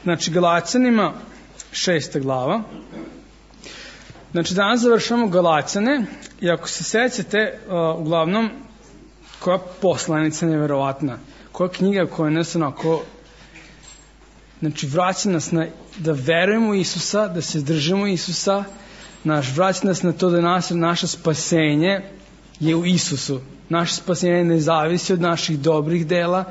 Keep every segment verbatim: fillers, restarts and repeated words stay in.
znači Galaćanima šesta glava. Znači danas završamo Galaćane i ako se sećate, uh, uglavnom koja poslanica neverovatna, koja knjiga koja nas onako, znači vraća nas na, da verujemo u Isusa, da se držimo Isusa, naš, vraća nas na to da nas, naše spasenje je u Isusu. Naše spasenje ne zavisi od naših dobrih dela,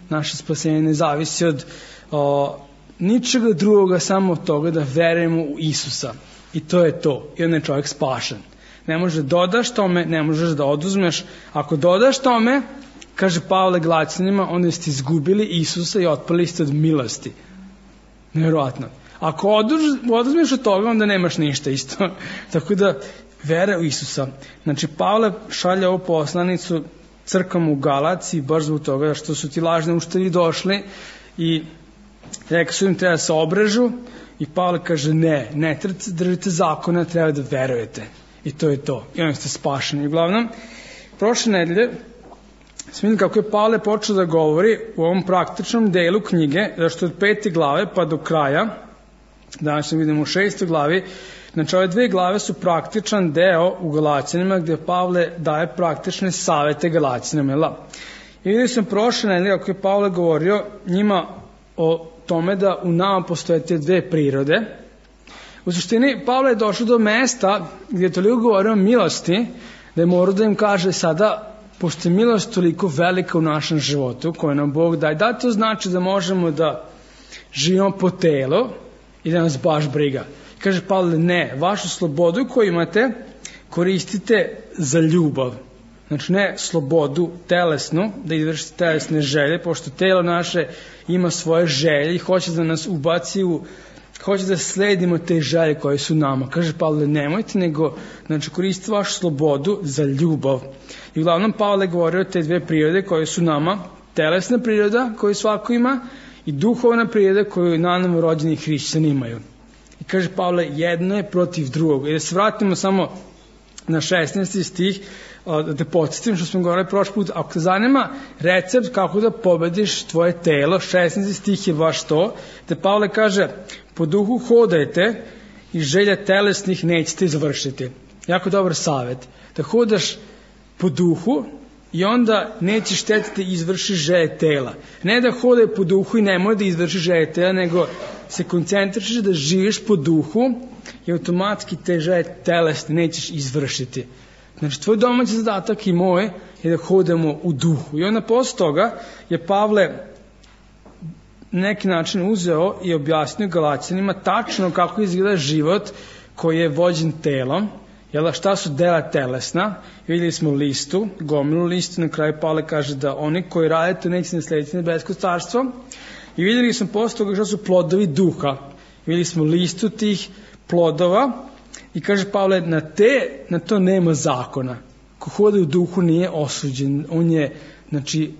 naše spasenje ne zavisi od o, ničega drugoga, samo od toga da verujemo u Isusa. I to je to. I onda je čovjek spašen. Ne možeš da dodaš tome, ne možeš da oduzmeš. Ako dodaš tome, kaže Pavle Galaćanima, onda ste izgubili Isusa i otpali ste od milosti. Nevjerojatno. Ako oduzmeš od toga, onda nemaš ništa isto. Tako da, vera u Isusa. Znači, Pavle šalje ovu poslanicu crkvom u Galaciji, baš zbog toga što su ti lažni učitelji došli i rekli su im treba da se obrežu i Pavle kaže ne, ne trebate držite zakona, treba da verujete. I to je to. I oni ste spašeni. Uglavnom, prošle nedelje smo vidjeli kako je Pavle počeo da govori u ovom praktičnom delu knjige, zašto od pete glave pa do kraja, danas ćemo vidimo u šestoj glavi, znači ove dve glave su praktičan deo u Galaćanima gdje Pavle daje praktične savete Galaćanima. I vidjeli smo prošle nedelje kako je Pavle govorio njima o tome da u nama postoje te dve prirode. U suštini, Pavle je došao do mesta gdje je toliko govorio o milosti, da je morao da im kaže sada, pošto je milost toliko velika u našem životu, koju nam Bog daje, da to znači da možemo da živimo po telu i da nas baš briga. Kaže Pavle, ne, vašu slobodu koju imate koristite za ljubav. Znači ne slobodu telesnu, da izvršite telesne želje, pošto telo naše ima svoje želje i hoće da nas ubaci u, hoće da sledimo te želje koje su nama. Kaže Pavle, nemojte, nego znači, koristite vašu slobodu za ljubav. I uglavnom Pavle govori o te dve prirode koje su nama, telesna priroda koju svako ima i duhovna priroda koju naravno rođeni hrišćani imaju. I kaže Pavle, jedno je protiv drugog. I da se vratimo samo na šesnaesti stih, da podsjetim što smo govorili prošli put, ako te zanima recept kako da pobediš tvoje telo, šesnaesti stih je baš to, da Pavle kaže, po duhu hodajte i želja telesnih nećete izvršiti. Jako dobar savjet. Da hodaš po duhu i onda nećeš štetiti izvršiš želje tela. Ne da hodaj po duhu i nemoj da izvršiš želje tela, nego se koncentrišeš da živiš po duhu i automatski te želje telesne nećeš izvršiti. Znači, tvoj domaći zadatak i moj je da hodamo u duhu. I onda posle toga je Pavle na neki način uzeo i objasnio Galaćanima tačno kako izgleda život koji je vođen telom. Jel, šta su dela telesna? Vidjeli smo listu, gomilu listu, na kraju Pavle kaže da oni koji rade to neće naslediti nebesko carstvo. I vidjeli smo posle toga šta su plodovi duha. Vidjeli smo listu tih plodova i kaže Pavle, na, te, na to nema zakona. Ko hoda u duhu nije osuđen. On je, znači,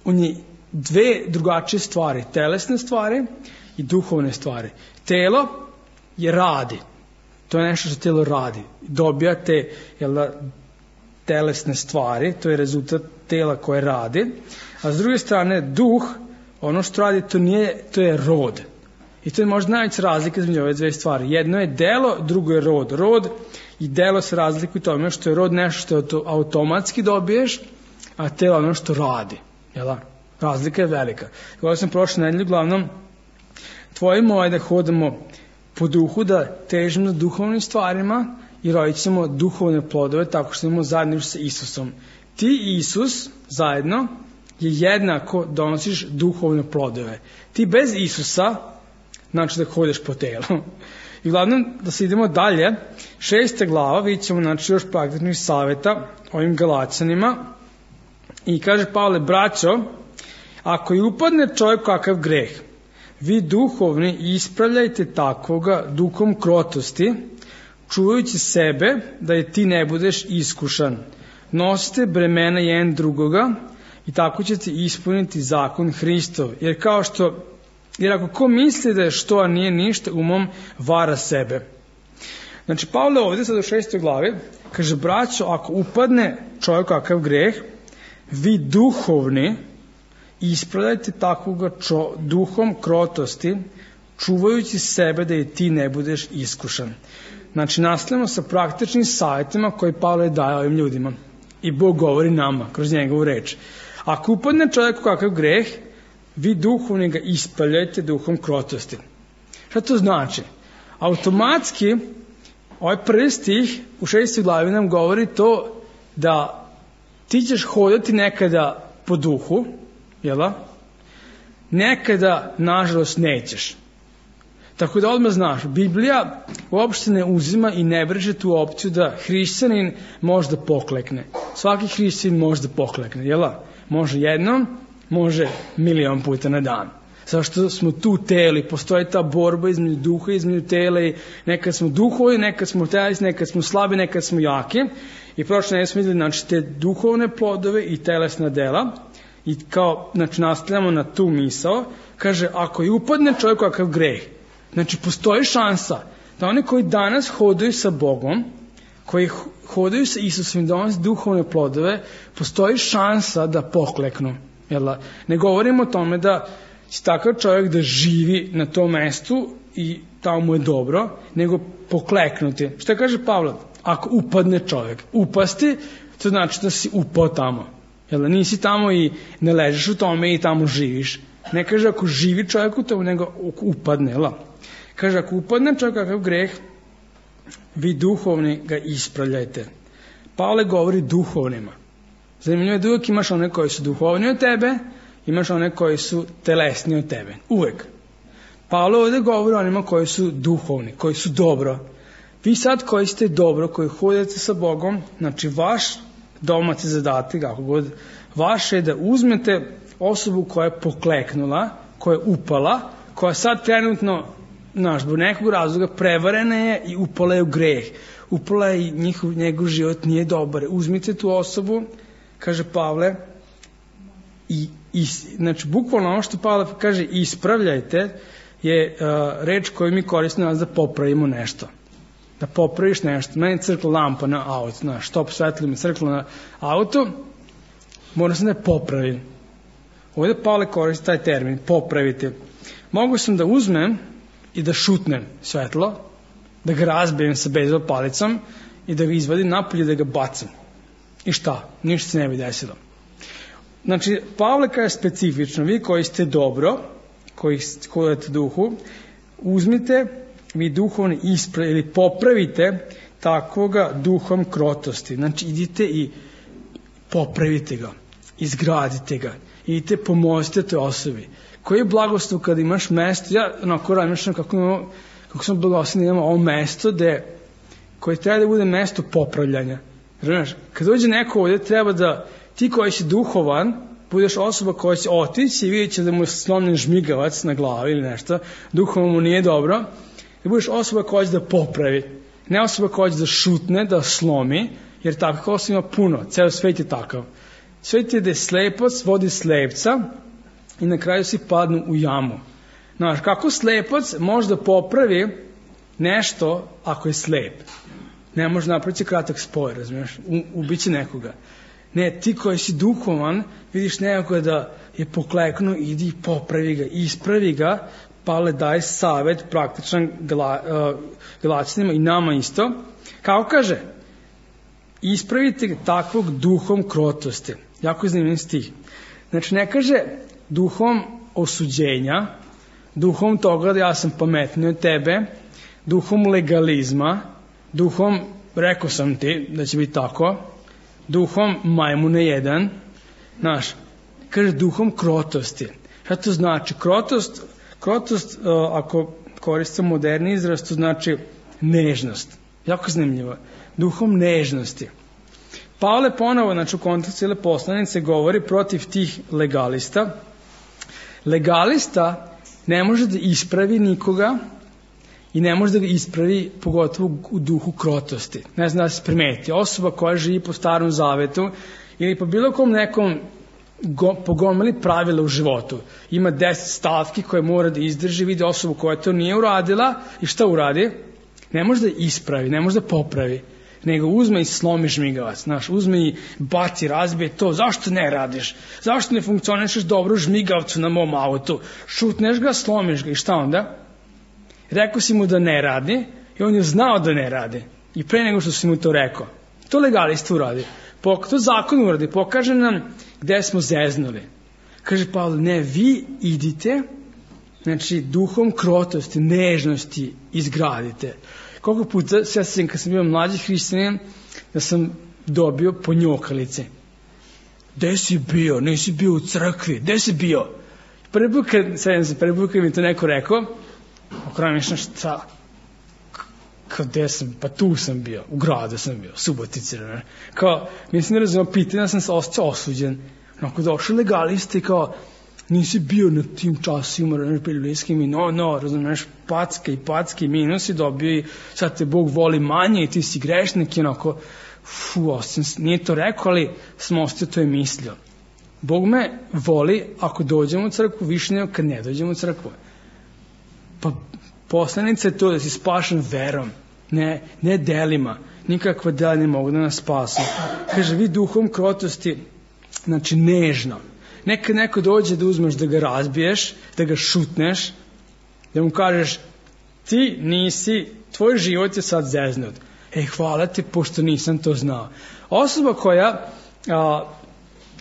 on je dve drugačije stvari, telesne stvari i duhovne stvari. Telo je radi. To je nešto što telo radi. Dobija te jel da, telesne stvari, to je rezultat tela koje radi. A s druge strane, duh, ono što radi, to, nije, to je rod. I to je možda najveća razlika između ove dve stvari. Jedno je delo, drugo je rod. Rod i delo se razlikuju tome što je rod nešto što automatski dobiješ, a telo ono što radi. Jel? Razlika je velika. Govorio sam prošle nedelje, uglavnom, tvoje moje da hodamo po duhu, da težimo za duhovnim stvarima i rodit ćemo duhovne plodove tako što imamo zajedno sa Isusom. Ti i Isus zajedno je jednako donosiš duhovne plodove. Ti bez Isusa znači da hodeš po telu. I uglavnom, da se idemo dalje, šesta glava, vidjet ćemo znači, još praktičnih savjeta ovim Galaćanima. I kaže Pavle, braćo, ako i upadne čovjek kakav greh, vi duhovni ispravljajte takvoga duhom krotosti, čuvajući sebe da je ti ne budeš iskušan. Nosite bremena jedan drugoga i tako ćete ispuniti zakon Hristov. Jer kao što Jer ako ko misli da je što, a nije ništa, umom vara sebe. Znači, Pavle ovdje, sad u šestoj glavi, kaže, braćo, ako upadne čovjek kakav greh, vi duhovni ispravljajte takvoga čo, duhom krotosti, čuvajući sebe da i ti ne budeš iskušan. Znači, nastavljamo sa praktičnim savjetima koji Pavle daje ovim ljudima. I Bog govori nama kroz njegovu reč. Ako upadne čovjek u kakav greh, vi duhovni ga ispravljajte duhom krotosti. Šta to znači? Automatski, ovaj prvi stih u šestoj glavi nam govori to da ti ćeš hodati nekada po duhu, jel da? Nekada, nažalost, nećeš. Tako da odmah znaš, Biblija uopšte ne uzima i ne breže tu opciju da hrišćanin može da poklekne. Svaki hrišćanin može da poklekne, jel da? Može jednom, može milion puta na dan. Zašto smo tu teli, postoji ta borba između duha i između tela i nekad smo duhovi, nekad smo telesni, nekad smo slabi, nekad smo jaki. I prošle ne smo vidjeli, znači, te duhovne plodove i telesna dela. I kao, znači, nastavljamo na tu misao, kaže, ako i upadne čovjek kakav greh, znači, postoji šansa da oni koji danas hodaju sa Bogom, koji hodaju sa Isusom i donose duhovne plodove, postoji šansa da pokleknu. Jel? Ne govorimo o tome da će takav čovjek da živi na tom mestu i tamo mu je dobro, nego pokleknuti. Šta kaže Pavle? Ako upadne čovjek, upasti, to znači da si upao tamo. Jel? Nisi tamo i ne ležiš u tome i tamo živiš. Ne kaže ako živi čovjek u tome, nego upadne. Jel? Kaže, ako upadne čovjek kakav greh, vi duhovni ga ispravljajte. Pavle govori duhovnima. Zanimljivo je da uvijek imaš one koji su duhovni od tebe, imaš one koji su telesni od tebe. Uvijek. Pavle ovdje govori o onima koji su duhovni, koji su dobro. Vi sad koji ste dobro, koji hodite sa Bogom, znači vaš domaći zadatak, kako god, vaš je da uzmete osobu koja je pokleknula, koja je upala, koja sad trenutno, znaš, zbog nekog razloga prevarena je i upala je u greh. Upala je i njihov, njegov život nije dobar. Uzmite tu osobu, kaže Pavle, i, i znači, bukvalno ono što Pavle kaže ispravljajte, je uh, reč koju mi koristimo nas da popravimo nešto. Da popraviš nešto. Meni je crkla lampa na auto, znaš, štop svetlo mi crkla na auto, moram sam da je popravim. Ovdje Pavle koristi taj termin, popravite. Mogu sam da uzmem i da šutnem svetlo, da ga razbijem sa bejzbol palicom i da ga izvadim napolje i da ga bacim. I šta? Ništa se ne bi desilo. Znači, Pavle kaže specifično, vi koji ste dobro, koji hodate duhu, uzmite vi duhovni isprav ili popravite takvoga duhom krotosti. Znači, idite i popravite ga, izgradite ga, idite pomozite toj osobi. Koji je blagoslov kada imaš mesto, ja onako razmišljam kako, imamo, kako smo blagoslovni da imamo ovo mesto gde, koje treba da bude mesto popravljanja. Znaš, kad dođe neko ovdje treba da ti koji si duhovan, budeš osoba koja će otići i vidjet će da mu je slomljen žmigavac na glavi ili nešto, duhovan mu nije dobro, da budeš osoba koja će da popravi, ne osoba koja će da šutne, da slomi, jer tako osoba ima puno, ceo svet je takav. Svet je da je slepac vodi slepca i na kraju svi padnu u jamu. Znaš, kako slepac može da popravi nešto ako je slep? Ne može napraviti kratak spoj, razumiješ, ubiće nekoga. Ne, ti koji si duhovan, vidiš nekoga da je pokleknuo, idi i popravi ga, ispravi ga, Pavle daje savjet praktičan gla, uh, Galaćanima i nama isto. Kako kaže? Ispravite ga takvog duhom krotosti. Jako zanimljiv stih. Znači, ne kaže duhom osuđenja, duhom toga da ja sam pametniji od tebe, duhom legalizma, duhom, rekao sam ti da će biti tako, duhom majmune jedan, znaš, kaže duhom krotosti. Šta to znači? Krotost, krotost uh, ako koristimo moderni izraz, to znači nežnost. Jako zanimljivo. Duhom nežnosti. Pavle ponovo, znači u kontekstu cijele poslanice, govori protiv tih legalista. Legalista ne može da ispravi nikoga i ne može da ga ispravi pogotovo u duhu krotosti. Ne znam da se primeti. Osoba koja živi po starom zavetu ili po bilo kom nekom go, pogomili pravila u životu. Ima deset stavki koje mora da izdrži, vidi osobu koja to nije uradila i šta uradi? Ne može da ispravi, ne može da popravi, nego uzme i slomi žmigavac. Znaš, uzme i baci, razbije to. Zašto ne radiš? Zašto ne funkcionišeš dobro žmigavcu na mom autu? Šutneš ga, slomiš ga i šta onda? Rekao si mu da ne radi i on je znao da ne radi. I pre nego što si mu to rekao. To legalista uradi. To zakon uradi. Pokaže nam gde smo zeznuli. Kaže Pavle, ne, vi idite, znači duhom krotosti, nežnosti izgradite. Koliko puta, sve sam kad sam bio mlađi hrišćanin, da sam dobio ponjokalice. Gde si bio? Nisi bio u crkvi. Gde si bio? Prvi put kad, sve sam, prvi put kad mi to neko rekao, okrajem mišljam šta? Kao gde sam? Pa tu sam bio. U gradu sam bio. Subotice. Ne? Kao, mislim ne razumio, pitanja sam se osjećao osuđen. Onako došli legalisti i kao, nisi bio na tim časima, religijskim i no, no, razumiješ, packe i packe i minusi dobio i sad te Bog voli manje i ti si grešnik i onako, fu, osim, nije to rekao, ali sam ostio to je mislio. Bog me voli ako dođemo u crkvu više nego kad ne dođemo u crkvu. Pa poslanica je to da si spašen verom, ne, ne delima, nikakva dela ne mogu da nas spasu. Kaže, vi duhom krotosti, znači nežno. Nekad neko dođe da uzmeš da ga razbiješ, da ga šutneš, da mu kažeš ti nisi, tvoj život je sad zeznut. Ej, hvala ti, pošto nisam to znao. Osoba koja a,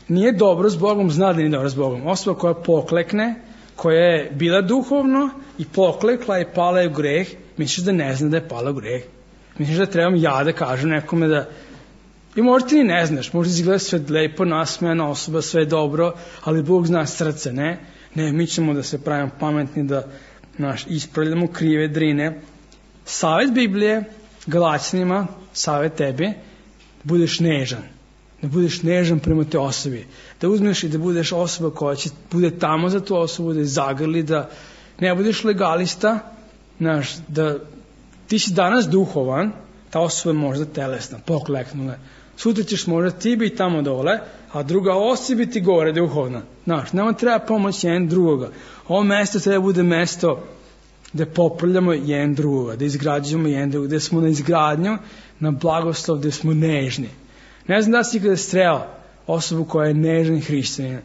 nije dobro s Bogom, zna da nije dobro s Bogom. Osoba koja poklekne, koja je bila duhovno i poklekla i pala je u greh, misliš da ne zna da je pala u greh. Misliš da trebam ja da kažem nekome da... I možda ti ni ne znaš, možda izgleda sve lepo, nasmejana osoba, sve dobro, ali Bog zna srce, ne? Ne, mi ćemo da se pravimo pametni, da naš, ispravljamo krive drine. Savet Biblije, Galaćanima, savet tebi, budeš nežan. Da budeš nežan prema te osobi. Da uzmeš i da budeš osoba koja će bude tamo za tu osobu, da je zagrli, da ne budeš legalista, znaš, da ti si danas duhovan, ta osoba je možda telesna, pokleknula. Sutra ćeš možda ti biti tamo dole, a druga osoba biti gore duhovna. Znaš, nama treba pomoć jedan drugoga. Ovo mesto treba bude mesto gde popravljamo jedan drugoga, da izgrađujemo jedan drugoga, gde smo na izgradnju, na blagoslov, gde smo nežni. Ne znam da si kada strela osobu koja je nežan hrišćanin.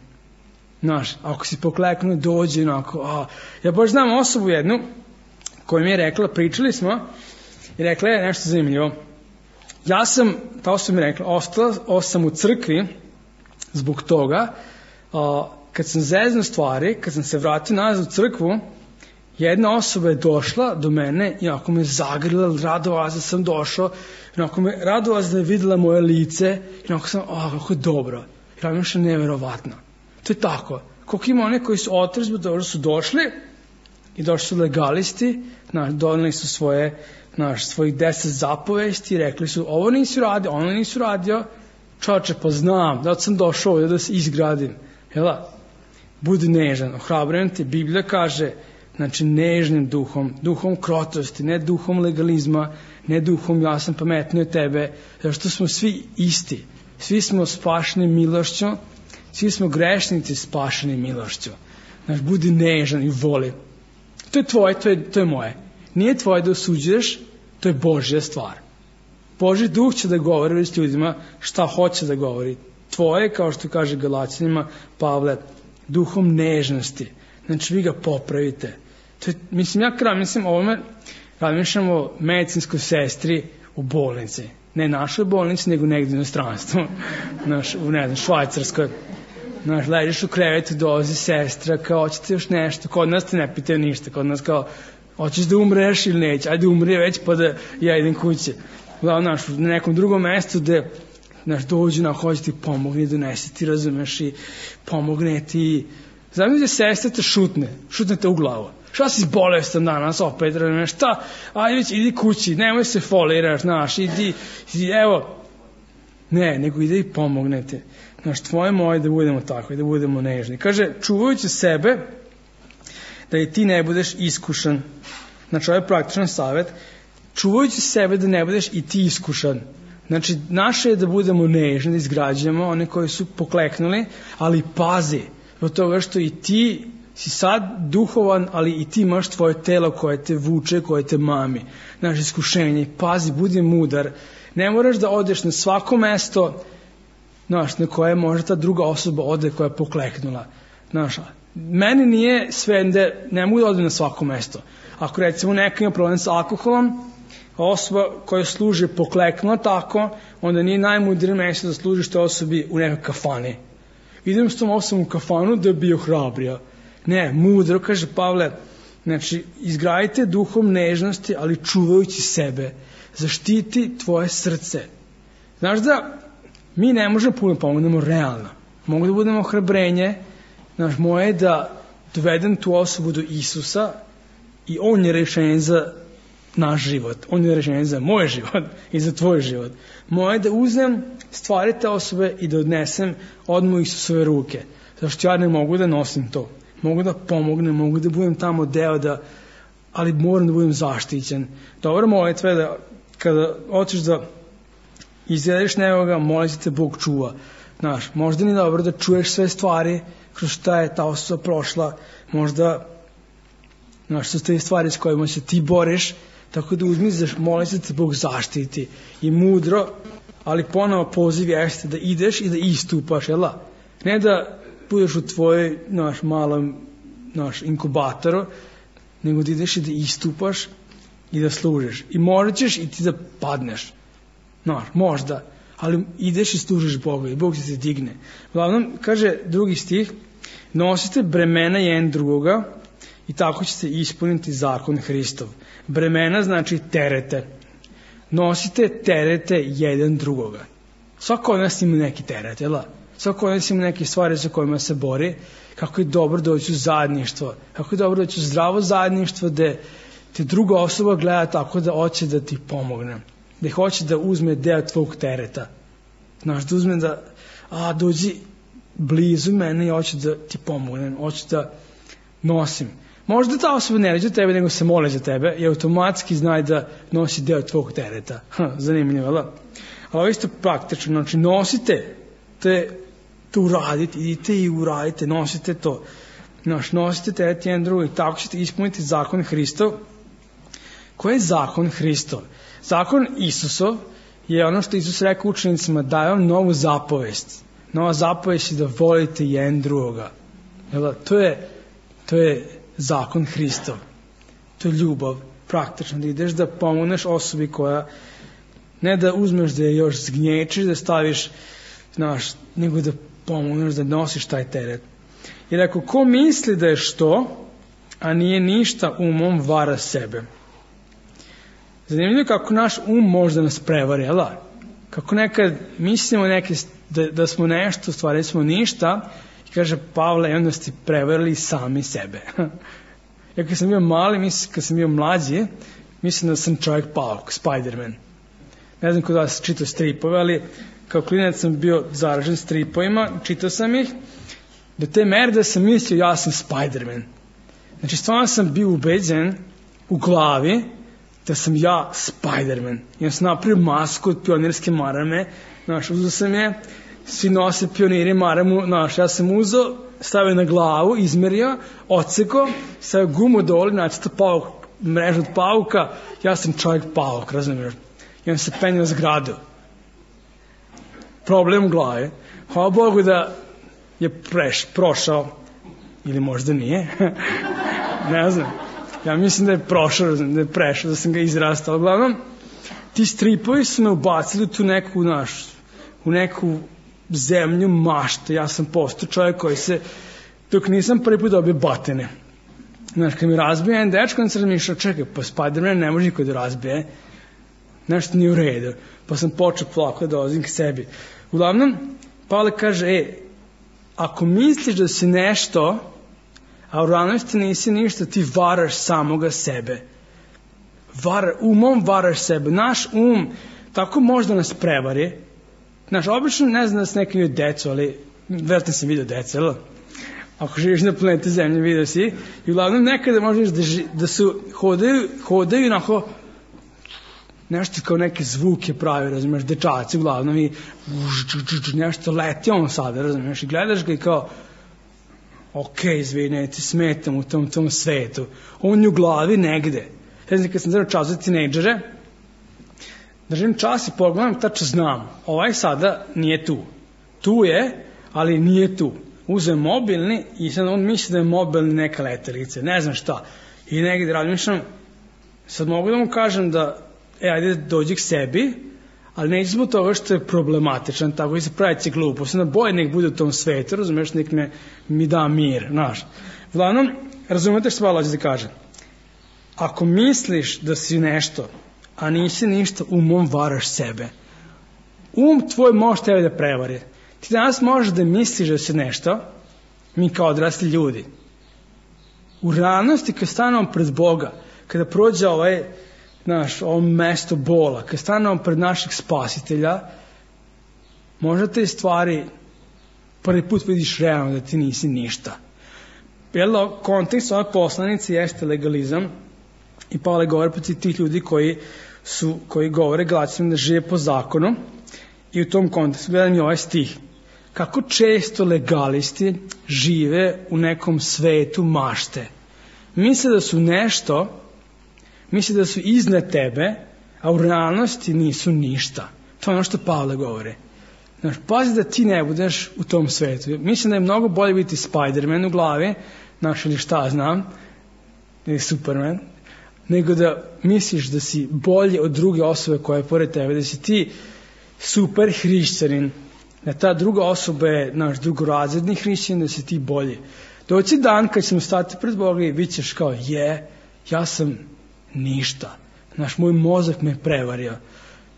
Znaš, ako si pokleknuo, dođe onako, a, ja baš znam osobu jednu koja mi je rekla, pričali smo, i rekla je nešto zanimljivo. Ja sam, ta osoba mi je rekla, ostala sam u crkvi zbog toga, a, kad sam zeznuo stvari, kad sam se vratio nazad u crkvu, jedna osoba je došla do mene i onako me zagrila, radovala da sam došao, i onako me radovala da je videla moje lice, i onako sam, a, kako je dobro. I radim što je neverovatno. To je tako. Koliko ima one koji su otrezbi, dobro su došli, i došli su legalisti, znaš, doneli su svoje, znaš, svojih deset zapovesti, rekli su, ovo nisi radio, ono nisi radio, čoče, pa znam, da sam došao ovdje da se izgradim. Jela, budi nežan, ohrabrujem te, Biblija kaže, znači nežnim duhom, duhom krotosti, ne duhom legalizma, ne duhom ja sam pametniji od tebe, zato što smo svi isti, svi smo spašeni milošću, svi smo grešnici spašeni milošću. Znači, budi nežan i voli. To je tvoje, to je, to je moje. Nije tvoje da osuđuješ, to je Božja stvar. Božji duh će da govori s ljudima šta hoće da govori. Tvoje, kao što kaže Galaćanima Pavle, duhom nežnosti. Znači, vi ga popravite. To je, mislim, ja kraj, mislim, ovome razmišljam o medicinskoj sestri u bolnici. Ne našoj bolnici, nego negdje u inostranstvu. Naš, u, ne znam, Švajcarskoj. Znaš, ležiš u krevetu, dolazi sestra, kao, hoćete još nešto? Kod nas te ne pitaju ništa. Kod nas kao, hoćeš da umreš ili neće? Ajde umri već pa da ja idem kuće. Znaš, na nekom drugom mestu gde, znaš, dođu na hoće ti pomogne, donese ti, razumeš, i pomogne ti. Znam da sestra te šutne, šutne te u glavu. Šta si bolestan danas opet, razumeš, šta? Ajde već, idi kući, nemoj se foliraš, znaš, idi, idi, evo. Ne, nego ide i pomognete. Znaš, tvoje moje da budemo takvi, da budemo nežni. Kaže, čuvajući sebe, da i ti ne budeš iskušan. Znači, ovo je praktičan savjet. Čuvajući sebe da ne budeš i ti iskušan. Znači, naše je da budemo nežni, da izgrađujemo one koji su pokleknuli, ali pazi, od toga što i ti si sad duhovan, ali i ti imaš tvoje telo koje te vuče, koje te mami. Znaš, iskušenje. Pazi, budi mudar. Ne moraš da odeš na svako mesto, znaš, na koje može ta druga osoba ode koja je pokleknula. Znaš, meni nije sve da ne mogu da odem na svako mesto. Ako recimo neko ima problem sa alkoholom, osoba koja služi pokleknula tako, onda nije najmudrije mesto da služiš te osobi u nekoj kafani. Idem s tom osobom u kafanu da bi ohrabrija. Ne, mudro, kaže Pavle, znači izgradite duhom nežnosti, ali čuvajući sebe. Zaštiti tvoje srce. Znaš da mi ne možemo puno pomognemo realno. Mogu da budemo ohrabrenje, znaš, moje je da dovedem tu osobu do Isusa i on je rešenje za naš život. On je rešenje za moj život i za tvoj život. Moje je da uzmem stvari te osobe i da odnesem odmah Isusove ruke. Zašto ja ne mogu da nosim to. Mogu da pomognem, mogu da budem tamo deo da, ali moram da budem zaštićen. Dobro molitva je da kada hoćeš da izgledaš nekoga, molim se te Bog čuva. Znaš, možda nije dobro da čuješ sve stvari kroz šta je ta osoba prošla, možda znaš, su te stvari s kojima se ti boriš, tako da uzmi, molim se te Bog zaštiti i mudro, ali ponovo poziv jeste da ideš i da istupaš, jel da? Ne da budeš u tvojoj naš malom naš inkubatoru, nego da ideš i da istupaš i da služiš. I možda ćeš i ti da padneš. Naš, možda. Ali ideš i služiš Boga i Bog će te digne. Uglavnom, kaže drugi stih, nosite bremena jedan drugoga i tako ćete ispuniti zakon Hristov. Bremena znači terete. Nosite terete jedan drugoga. Svako od nas ima neki teret, jel da? Svako od nas ima neke stvari sa kojima se bori. Kako je dobro doći u zajedništvo. Kako je dobro doći u zdravo zajedništvo gde te druga osoba gleda tako da hoće da ti pomogne. Da hoće da uzme deo tvog tereta. Znaš, da uzme da, a, dođi blizu mene i hoće da ti pomognem, hoće da nosim. Možda ta osoba ne ređe tebe, nego se mole za tebe i automatski znaj da nosi deo tvog tereta. Ha, zanimljivo, da? Ali ovo isto praktično, znači nosite te, to uradite, idite i uradite, nosite to. Znaš, nosite teret jedan drugi, tako ćete ispuniti zakon Hristov. Koji je zakon Hristov? Zakon Isusov je ono što Isus rekao učenicima, daje vam novu zapovest. Nova zapovest je da volite jedan drugoga. Jel, to je, to je zakon Hristov. To je ljubav, praktično, da ideš da pomogneš osobi koja, ne da uzmeš da je još zgnječiš, da staviš, znaš, nego da pomogneš da nosiš taj teret. Jer ako ko misli da je što, a nije ništa, umom vara sebe. Zanimljivo je kako naš um može da nas prevari, jel da? Kako nekad mislimo neke, da, da smo nešto, stvari smo ništa, i kaže Pavle, i onda ste prevarili sami sebe. Ja kad sam bio mali, mislim, kad sam bio mlađi, mislim da sam čovjek pauk, Spider-Man. Ne znam kod vas čitao stripove, ali kao klinac sam bio zaražen stripovima, čitao sam ih, do te mere da sam mislio ja sam Spider-Man. Znači stvarno sam bio ubeđen u glavi da sam ja Spider-Man. I on sam napravio masku od pionirske marame, znaš, uzeo sam je, svi nose pioniri maramu, znaš, ja sam uzeo, stavio na glavu, izmerio, oceko, stavio gumu dole, nacrtao pauk, mrežu od pauka, ja sam čovjek pauk, razumiješ? I on se penio zgradu. Problem u glavi. Hvala Bogu da je preš, prošao, ili možda nije, ne znam. Ja mislim da je prošao, da je prešao, da sam ga izrastao. Uglavnom, ti stripovi su me ubacili u tu neku, naš, u neku zemlju mašte. Ja sam postao čovjek koji se, dok nisam prvi put dobio batine. Znaš, kad mi razbije jedan dečko, onda sam razmišljao, čekaj, pa Spider-Man ne može niko da razbije. Nešto nije u redu. Pa sam počeo plako da dolazim k sebi. Uglavnom, Pavle kaže, e, ako misliš da si nešto, a u realnosti nisi ništa, ti varaš samoga sebe. Var, umom varaš sebe. Naš um tako možda nas prevari. Znaš, obično ne znam da se neki vidio decu, ali vjerojatno sam vidio deca, ali ako živiš na planeti Zemlje, vidio si. I uglavnom nekada možeš da, ži, da su hodaju, hodaju onako nešto kao neke zvuke pravi, razumiješ, dečaci uglavnom i nešto leti on sada, razumiješ, i gledaš ga i kao ok, izvinite, smetam u tom, tom svetu. On je u glavi negde. Ja znam, kad sam zelo čas za tinejdžere, držim čas i pogledam, tačno znam, ovaj sada nije tu. Tu je, ali nije tu. uzeo mobilni i sad on misli da je mobilni neka letelica, ne znam šta. I negdje razmišljam, sad mogu da mu kažem da, e, ajde dođi k sebi, ali neće zbog toga što je problematičan, tako i se pravići glupost, na boje nek bude u tom svetu, razumiješ, nek me, mi da mir, znaš. Uglavnom, razumijete što Pavle hoće da kaže? Ako misliš da si nešto, a nisi ništa, umom varaš sebe. Um tvoj može tebe da prevari. Ti danas možeš da misliš da si nešto, mi kao odrasli ljudi. U realnosti kad stanemo pred Boga, kada prođe ovaj, naš, ovo mesto bola, kad stanemo pred našeg spasitelja, možda te stvari prvi put vidiš realno da ti nisi ništa. Jel, kontekst ove poslanice jeste legalizam i Pavle govori protiv tih ljudi koji, su, koji govore Galaćanima da žive po zakonu i u tom kontekstu gledam i ovaj stih. Kako često legalisti žive u nekom svetu mašte. Misle da su nešto, misle da su iznad tebe, a u realnosti nisu ništa. To je ono što Pavle govori. Znaš, pazi da ti ne budeš u tom svetu. Mislim da je mnogo bolje biti Spider-Man u glavi, znaš, ili šta znam, ili Superman, nego da misliš da si bolje od druge osobe koja je pored tebe, da si ti super hrišćanin, da ta druga osoba je naš drugorazredni hrišćanin, da si ti bolji. Doći dan kad ćemo stati pred Boga i bit ćeš kao, je, ja sam ništa. Naš moj mozak me prevario.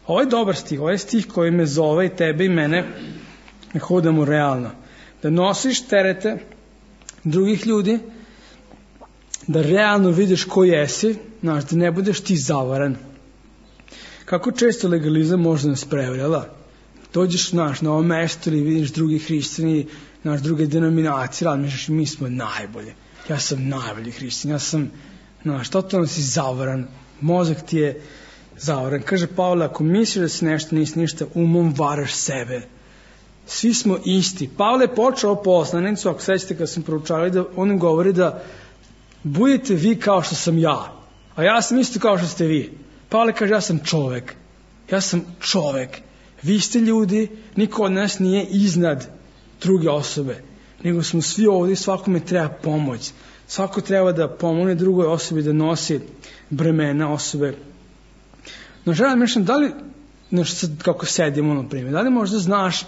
Ovo je dobar stih, ovo je stih koji me zove i tebe i mene, da hodamo realno. Da nosiš terete drugih ljudi, da realno vidiš ko jesi, znaš, da ne budeš ti zavaran. Kako često legalizam može nas prevarjala? Dođeš, znaš, na ovo mesto ili vidiš drugi hrišćani, naš druge denominacije, razmišljaš, mi smo najbolje. Ja sam najbolji hrišćan, ja sam, znaš, totalno si zavaran, mozak ti je zavaran. Kaže Pavle, ako misliš da si nešto, nisi ništa, umom varaš sebe. Svi smo isti. Pavle je počeo poslanicu, ako sećate kad sam proučavali, da on govori da budete vi kao što sam ja, a ja sam isto kao što ste vi. Pavle kaže, ja sam čovek. Ja sam čovek. Vi ste ljudi, niko od nas nije iznad druge osobe, nego smo svi ovdje i svakome treba pomoć. Svako treba da pomogne drugoj osobi da nosi bremena osobe. No želim mišljam, da li, znaš, sad kako sedimo na primjer, da li možda znaš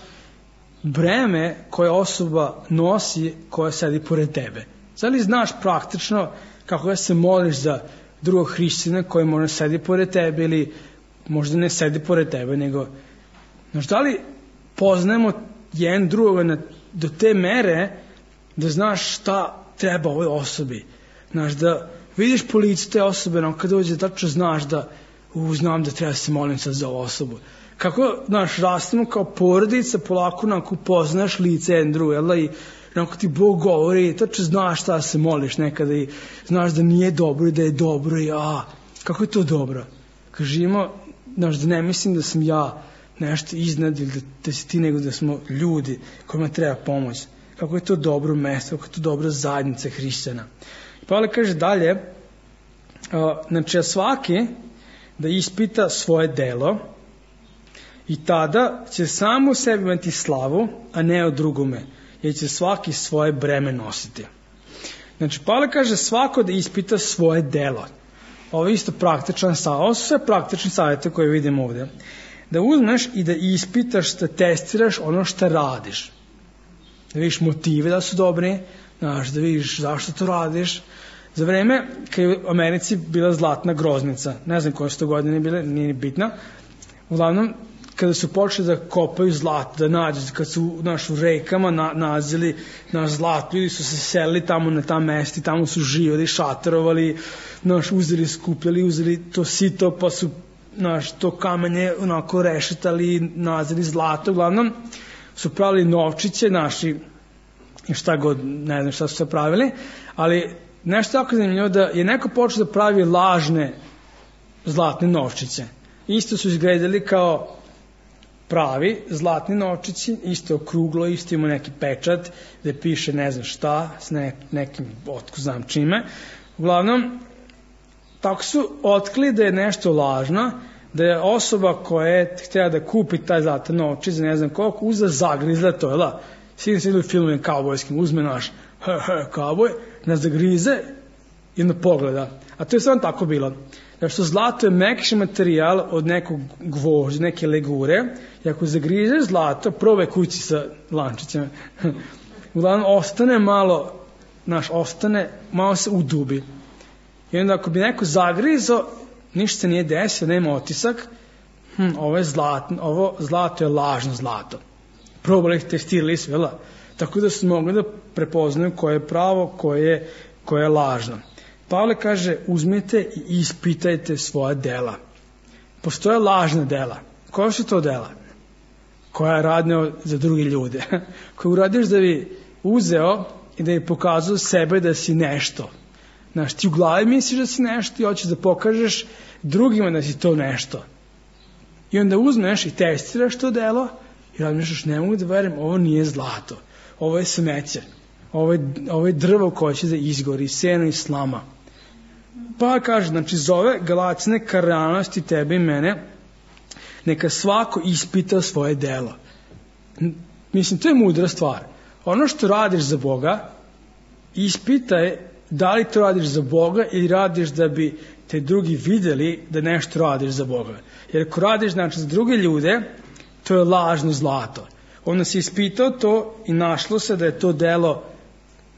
breme koje osoba nosi koja sedi pored tebe? Da li znaš praktično kako da se moliš za drugog hrišćana koji možda sedi pored tebe ili možda ne sedi pored tebe, nego znaš, da li poznajemo jedan drugoga na, do te mere da znaš šta treba ovoj osobi. Znaš, da vidiš po licu te osobe, no kad dođe tačno znaš da u, znam da treba se molim sad za ovu osobu. Kako, znaš, rastemo kao porodica, polako onako poznaš lice jedan drugo, jel da, i onako ti Bog govori, tačno znaš šta se moliš nekada i znaš da nije dobro i da je dobro i a, kako je to dobro? Kad živimo, znaš, da ne mislim da sam ja nešto iznad ili da, da si ti, nego da smo ljudi kojima treba pomoć. Kako je to dobro mesto, kako je to dobra zajednica hrišćana. Pavle kaže dalje, uh, znači svaki da ispita svoje delo i tada će samo u sebi imati slavu, a ne o drugome, jer će svaki svoje breme nositi. Znači Pavle kaže svako da ispita svoje delo. Ovo je isto praktičan savjet, ovo su sve praktični savjete koje vidimo ovdje. Da uzmeš i da ispitaš, da testiraš ono što radiš. Da vidiš motive da su dobri, znaš, da vidiš zašto to radiš. Za vreme kad je u Americi bila zlatna groznica, ne znam koje su to godine bile, nije ni bitno, uglavnom kada su počeli da kopaju zlato, da nađu, kad su naš, u rekama na, nazili naš zlato, ljudi su se selili tamo na ta mesti, tamo su živali, šatarovali, naš, uzeli, skupljali, uzeli to sito, pa su naš, to kamenje onako rešetali, nazili zlato, uglavnom su pravili novčiće naši, šta god, ne znam šta su se pravili, ali nešto tako zanimljivo da je neko počeo da pravi lažne zlatne novčiće. Isto su izgledali kao pravi zlatni novčići, isto okruglo, isto ima neki pečat gde piše ne znam šta, s ne, nekim otko znam čime. Uglavnom, tako su otkrili da je nešto lažno, da je osoba koja je htjela da kupi taj zlatan novčić za ne znam koliko, uzela zagrizla to, jel da? Svi se idu filmove kaubojskim, uzme naš he, he, kauboj, nas zagrize i onda pogleda. A to je samo tako bilo. Zato što zlato je mekši materijal od nekog gvožđa, neke legure, i ako zagrizeš zlato, probaj kući sa lančićima, uglavnom ostane malo, naš, ostane, malo se udubi. I onda ako bi neko zagrizo, ništa se nije desio, nema otisak, hm, ovo, je zlato, ovo zlato je lažno zlato. Probali testirali su, jel? Tako da su mogli da prepoznaju koje je pravo, koje je, koje je lažno. Pavle kaže, uzmite i ispitajte svoja dela. Postoje lažna dela. Koja su to dela? Koja je radnja za drugi ljude. Koja uradiš da bi uzeo i da bi pokazao sebe da si nešto. Znaš, ti u glavi misliš da si nešto i hoćeš da pokažeš drugima da si to nešto. I onda uzmeš i testiraš to delo i razmišljaš, ne mogu da verujem, ovo nije zlato. Ovo je smeće. Ovo je, ovo je drvo koje će da izgori, seno i slama. Pa kaže, znači zove Galacine ka realnosti tebe i mene, neka svako ispita svoje delo. Mislim, to je mudra stvar. Ono što radiš za Boga, ispitaj da li to radiš za Boga ili radiš da bi te drugi videli da nešto radiš za Boga. Jer ako radiš, znači, za druge ljude, to je lažno zlato. Onda si ispitao to i našlo se da je to delo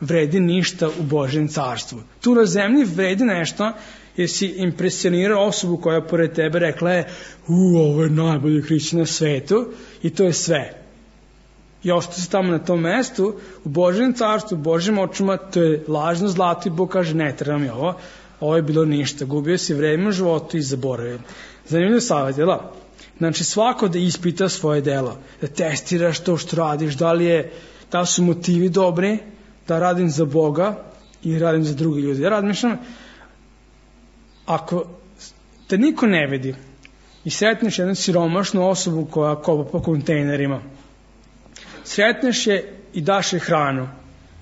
vredi ništa u Božjem carstvu. Tu na zemlji vredi nešto jer si impresionirao osobu koja pored tebe rekla je, u, ovo je najbolji hrišćan na svetu i to je sve. I ostao si tamo na tom mestu, u Božjem carstvu, u Božjem očima, to je lažno zlato i Bog kaže, ne treba mi ovo, ovo je bilo ništa, gubio si vreme u životu i zaboravio. Zanimljiv savjet, jel? Znači svako da ispita svoje delo, da testiraš to što radiš, da li, je, da li su motivi dobri, da radim za Boga i radim za drugi ljudi. Ja razmišljam, ako te niko ne vidi i sretneš jednu siromašnu osobu koja kopa po kontejnerima, sretneš je i daš je hranu,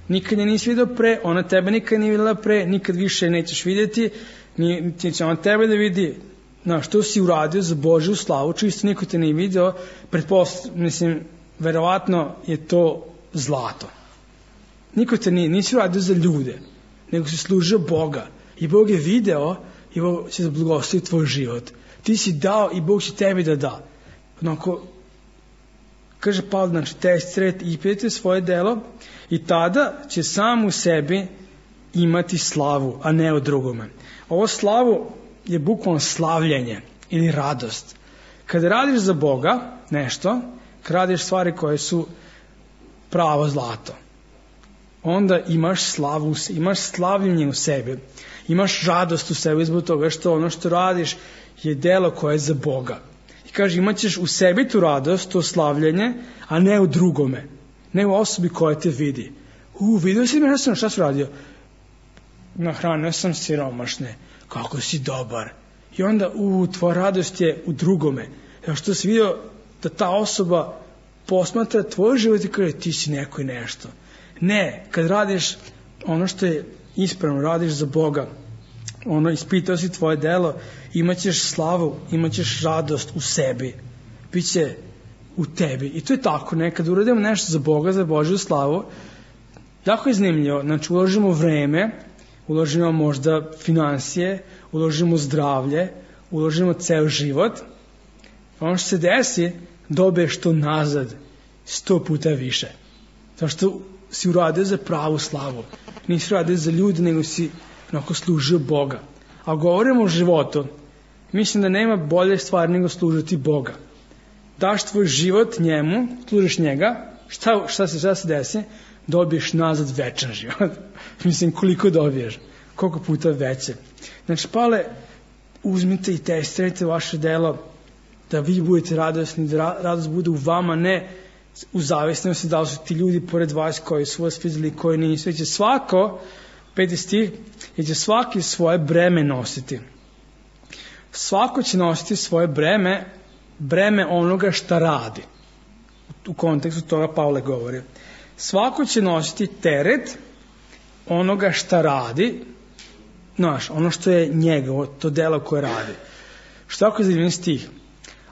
nikad je nisi vidio pre, ona tebe nikad nije videla pre, nikad više nećeš vidjeti, niti će ona tebe da vidi. Znaš, što si uradio za Božju slavu, čisto niko te nije video, pretpost, mislim, verovatno je to zlato. Niko te nije, nisi uradio za ljude, nego si služio Boga. I Bog je video i Bog će da blagoslovi tvoj život. Ti si dao i Bog će tebi da da. Onako, kaže Pavle, znači, testirajte i ispitajte svoje delo i tada će sam u sebi imati slavu, a ne o drugome. Ovo slavu je bukvalno slavljenje ili radost. Kada radiš za Boga nešto, kada radiš stvari koje su pravo zlato, onda imaš slavu, imaš slavljenje u sebi, imaš radost u sebi zbog toga što ono što radiš je delo koje je za Boga. I kaže, imat ćeš u sebi tu radost, to slavljenje, a ne u drugome, ne u osobi koja te vidi. U, vidio si me, sam, šta si radio? Nahranio sam siromašne, kako si dobar. I onda, u, tvoja radost je u drugome. Evo što si vidio da ta osoba posmatra tvoj život i kaže, ti si neko i nešto. Ne, kad radiš ono što je ispravno, radiš za Boga, ono, ispitao si tvoje delo, imaćeš slavu, imaćeš radost u sebi, biće u tebi. I to je tako, nekad uradimo nešto za Boga, za Božju slavu, jako je zanimljivo, znači uložimo vreme, uložimo možda finansije, uložimo zdravlje, uložimo ceo život, ono što se desi, dobiješ to nazad sto puta više. Zato što si uradio za pravu slavu. Nisi uradio za ljudi, nego si onako služio Boga. A govorimo o životu, mislim da nema bolje stvari nego služiti Boga. Daš tvoj život njemu, služiš njega, šta, šta, se, šta se desi? Dobiješ nazad večan život. Mislim, koliko dobiješ? Koliko puta veće? Znači, Pavle, uzmite i testirajte vaše delo, da vi budete radosni, da radost bude u vama, ne u zavisnosti da li su ti ljudi pored vas koji su vas vidjeli, koji nisu. Će svako, peti stih, će svaki svoje breme nositi. Svako će nositi svoje breme, breme onoga šta radi. U kontekstu toga Pavle govori. Svako će nositi teret onoga šta radi, znaš, ono što je njegovo, to delo koje radi. Što ako je zanimljiv stih?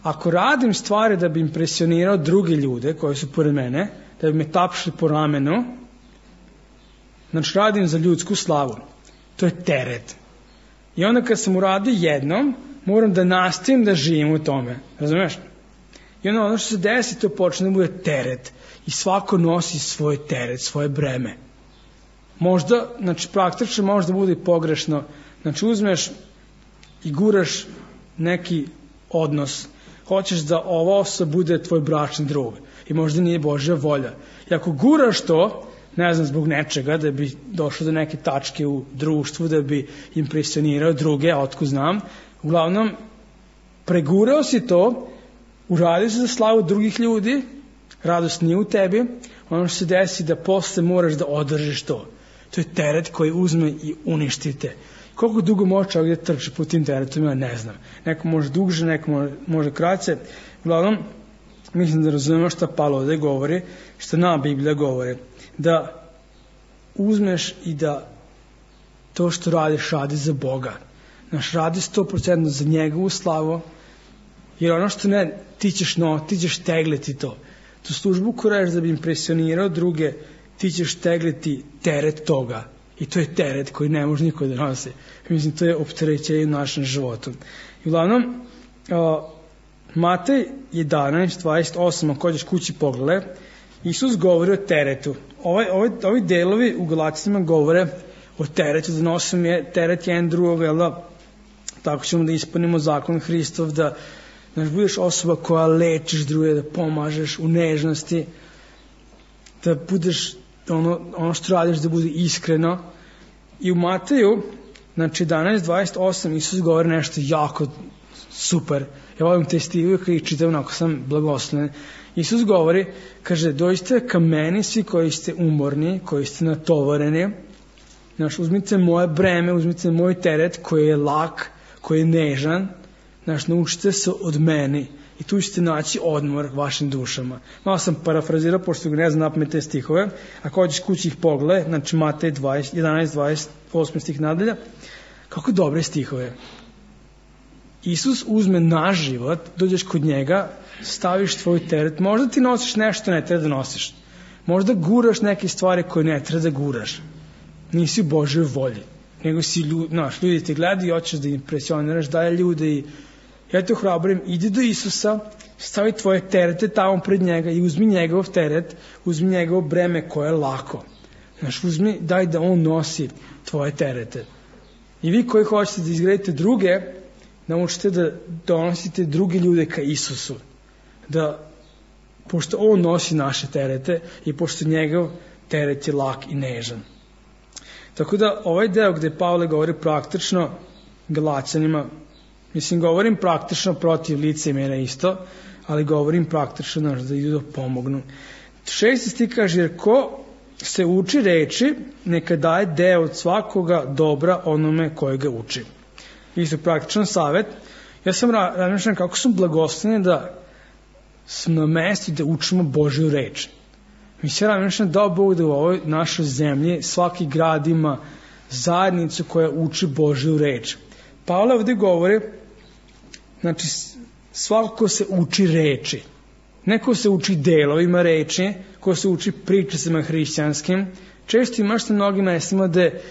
Ako radim stvari da bi impresionirao druge ljude koji su pored mene, da bi me tapšli po ramenu, znači radim za ljudsku slavu. To je teret. I onda kad sam uradio jednom, moram da nastavim da živim u tome. Razumeš? I onda ono što se desi, to počne da bude teret. I svako nosi svoj teret, svoje breme. Možda, znači praktično možda bude i pogrešno. Znači uzmeš i guraš neki odnos. Hoćeš da ova osoba bude tvoj bračni drug. I možda nije Božja volja. I ako guraš to, ne znam, zbog nečega, da bi došlo do neke tačke u društvu, da bi impresionirao druge, a otko znam, uglavnom, pregurao si to, uradio si za slavu drugih ljudi, radost nije u tebi, ono što se desi da posle moraš da održiš to. To je teret koji uzme i uništite. Koliko dugo može čovjek da trči po tim teretovima, ne znam. Neko može duže, neko može, može kraće. Uglavnom, mislim da razumemo šta Pavle ovde govori, šta nama Biblija govori. Da uzmeš i da to što radiš, radi za Boga. Znaš, radi sto posto za njegovu slavu, jer ono što ne, ti ćeš, no, ti ćeš tegliti to. Tu službu koju radiš da bi impresionirao druge, ti ćeš tegliti teret toga. I to je teret koji ne može niko da nosi. Mislim, to je opterećenje u našem životu. I uglavnom, uh, Matej jedanaest dvadeset osam, ako ćeš kući pogledaj, Isus govori o teretu. Ovaj, ovaj, ovi delovi u Galacijama govore o teretu, da nosim je teret jedan drugog, jel da, tako ćemo da ispunimo zakon Hristov, da znaš, budeš osoba koja lečiš druge, da pomažeš u nežnosti, da budeš ono, ono što radiš da bude iskreno. I u Mateju, znači jedanaest dvadeset osam, Isus govori nešto jako super. Ja volim te stihove koji čitam, onako sam blagosloven. Isus govori, kaže, dođite ka meni svi koji ste umorni, koji ste natovareni, znaš, uzmite moje breme, uzmite moj teret koji je lak, koji je nežan, znaš, naučite se od meni i tu ćete naći odmor vašim dušama. Malo sam parafrazirao, pošto ne znam napamet te stihove, ako hoćeš kući ih pogledaj, znači Matej jedanaest dvadeset osam stih nadalje, kako dobre stihove. Isus uzme naš život, dođeš kod njega, staviš tvoj teret, možda ti nosiš nešto ne treba da nosiš, možda guraš neke stvari koje ne treba da guraš, nisi u Božoj volji, nego si ljudi, naš, ljudi te gledaju i hoćeš da impresioniraš dalje ljude i ja te ohrabrujem, idi do Isusa, stavi tvoje terete tamo pred njega i uzmi njegov teret, uzmi njegov breme koje je lako. Znaš, uzmi, daj da on nosi tvoje terete. I vi koji hoćete da izgradite druge, naučite da donosite druge ljude ka Isusu. Da, pošto on nosi naše terete i pošto njegov teret je lak i nežan. Tako da ovaj deo gde Pavle govori praktično Galaćanima, mislim, govorim praktično protiv licemera isto, ali govorim praktično, znaš, da idu da pomognu. Šesti stih kaže, jer ko se uči reči, neka daje deo od svakoga dobra onome koje ga uči. Isto praktičan savjet. Ja sam razmišljam kako sam blagosloveni da sam na mestu da učimo Božju reč. Mi se razmišljam da Bog da u ovoj našoj zemlji svaki grad ima zajednicu koja uči Božju reč. Pavle ovdje govori, znači svako ko se uči reči, neko se uči delovima reči, ko se uči pričicama hrišćanskim, često imaš na mnogim mestima gde,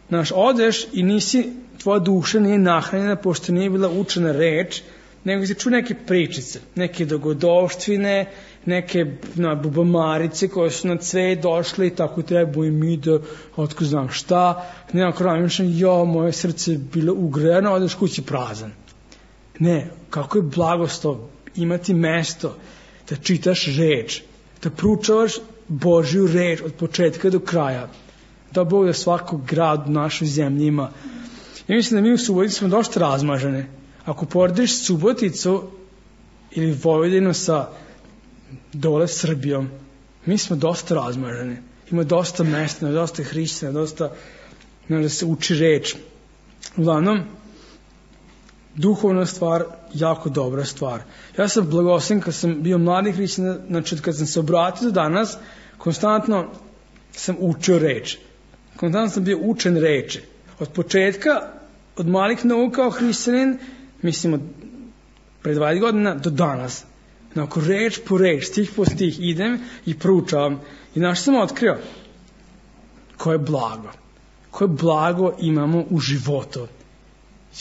znaš, odeš i nisi, tvoja duša nije nahranjena pošto nije bila učena reč, nego si čuo neke pričice, neke dogodovštvine, neke na, bubamarice koje su na cvet došle i tako treba i mi da, otko znam šta, nekako razmišljam, jo, moje srce je bilo ugrejano, odeš kući prazan. Ne, kako je blagoslov imati mesto da čitaš reč, da proučavaš Božju reč od početka do kraja, da Bog da svakog grad u našoj zemlji ima. Ja mislim da mi u Subotici smo dosta razmažene. Ako porediš Suboticu ili Vojvodinu sa dole Srbijom, mi smo dosta razmažene. Ima dosta mesta, dosta hrišćana, dosta da se uči reč. Uglavnom, duhovna stvar, jako dobra stvar. Ja sam blagosloven kad sam bio mladi hrišćan, znači kad sam se obratio do danas, konstantno sam učio reč. Konstantno sam bio učen reči. Od početka, od malih nogu kao hrišćanin, mislim od pre dvadeset godina do danas. Onako, reč po reč, stih po stih, idem i proučavam. I znaš sam otkrio koje blago. Koje blago imamo u životu.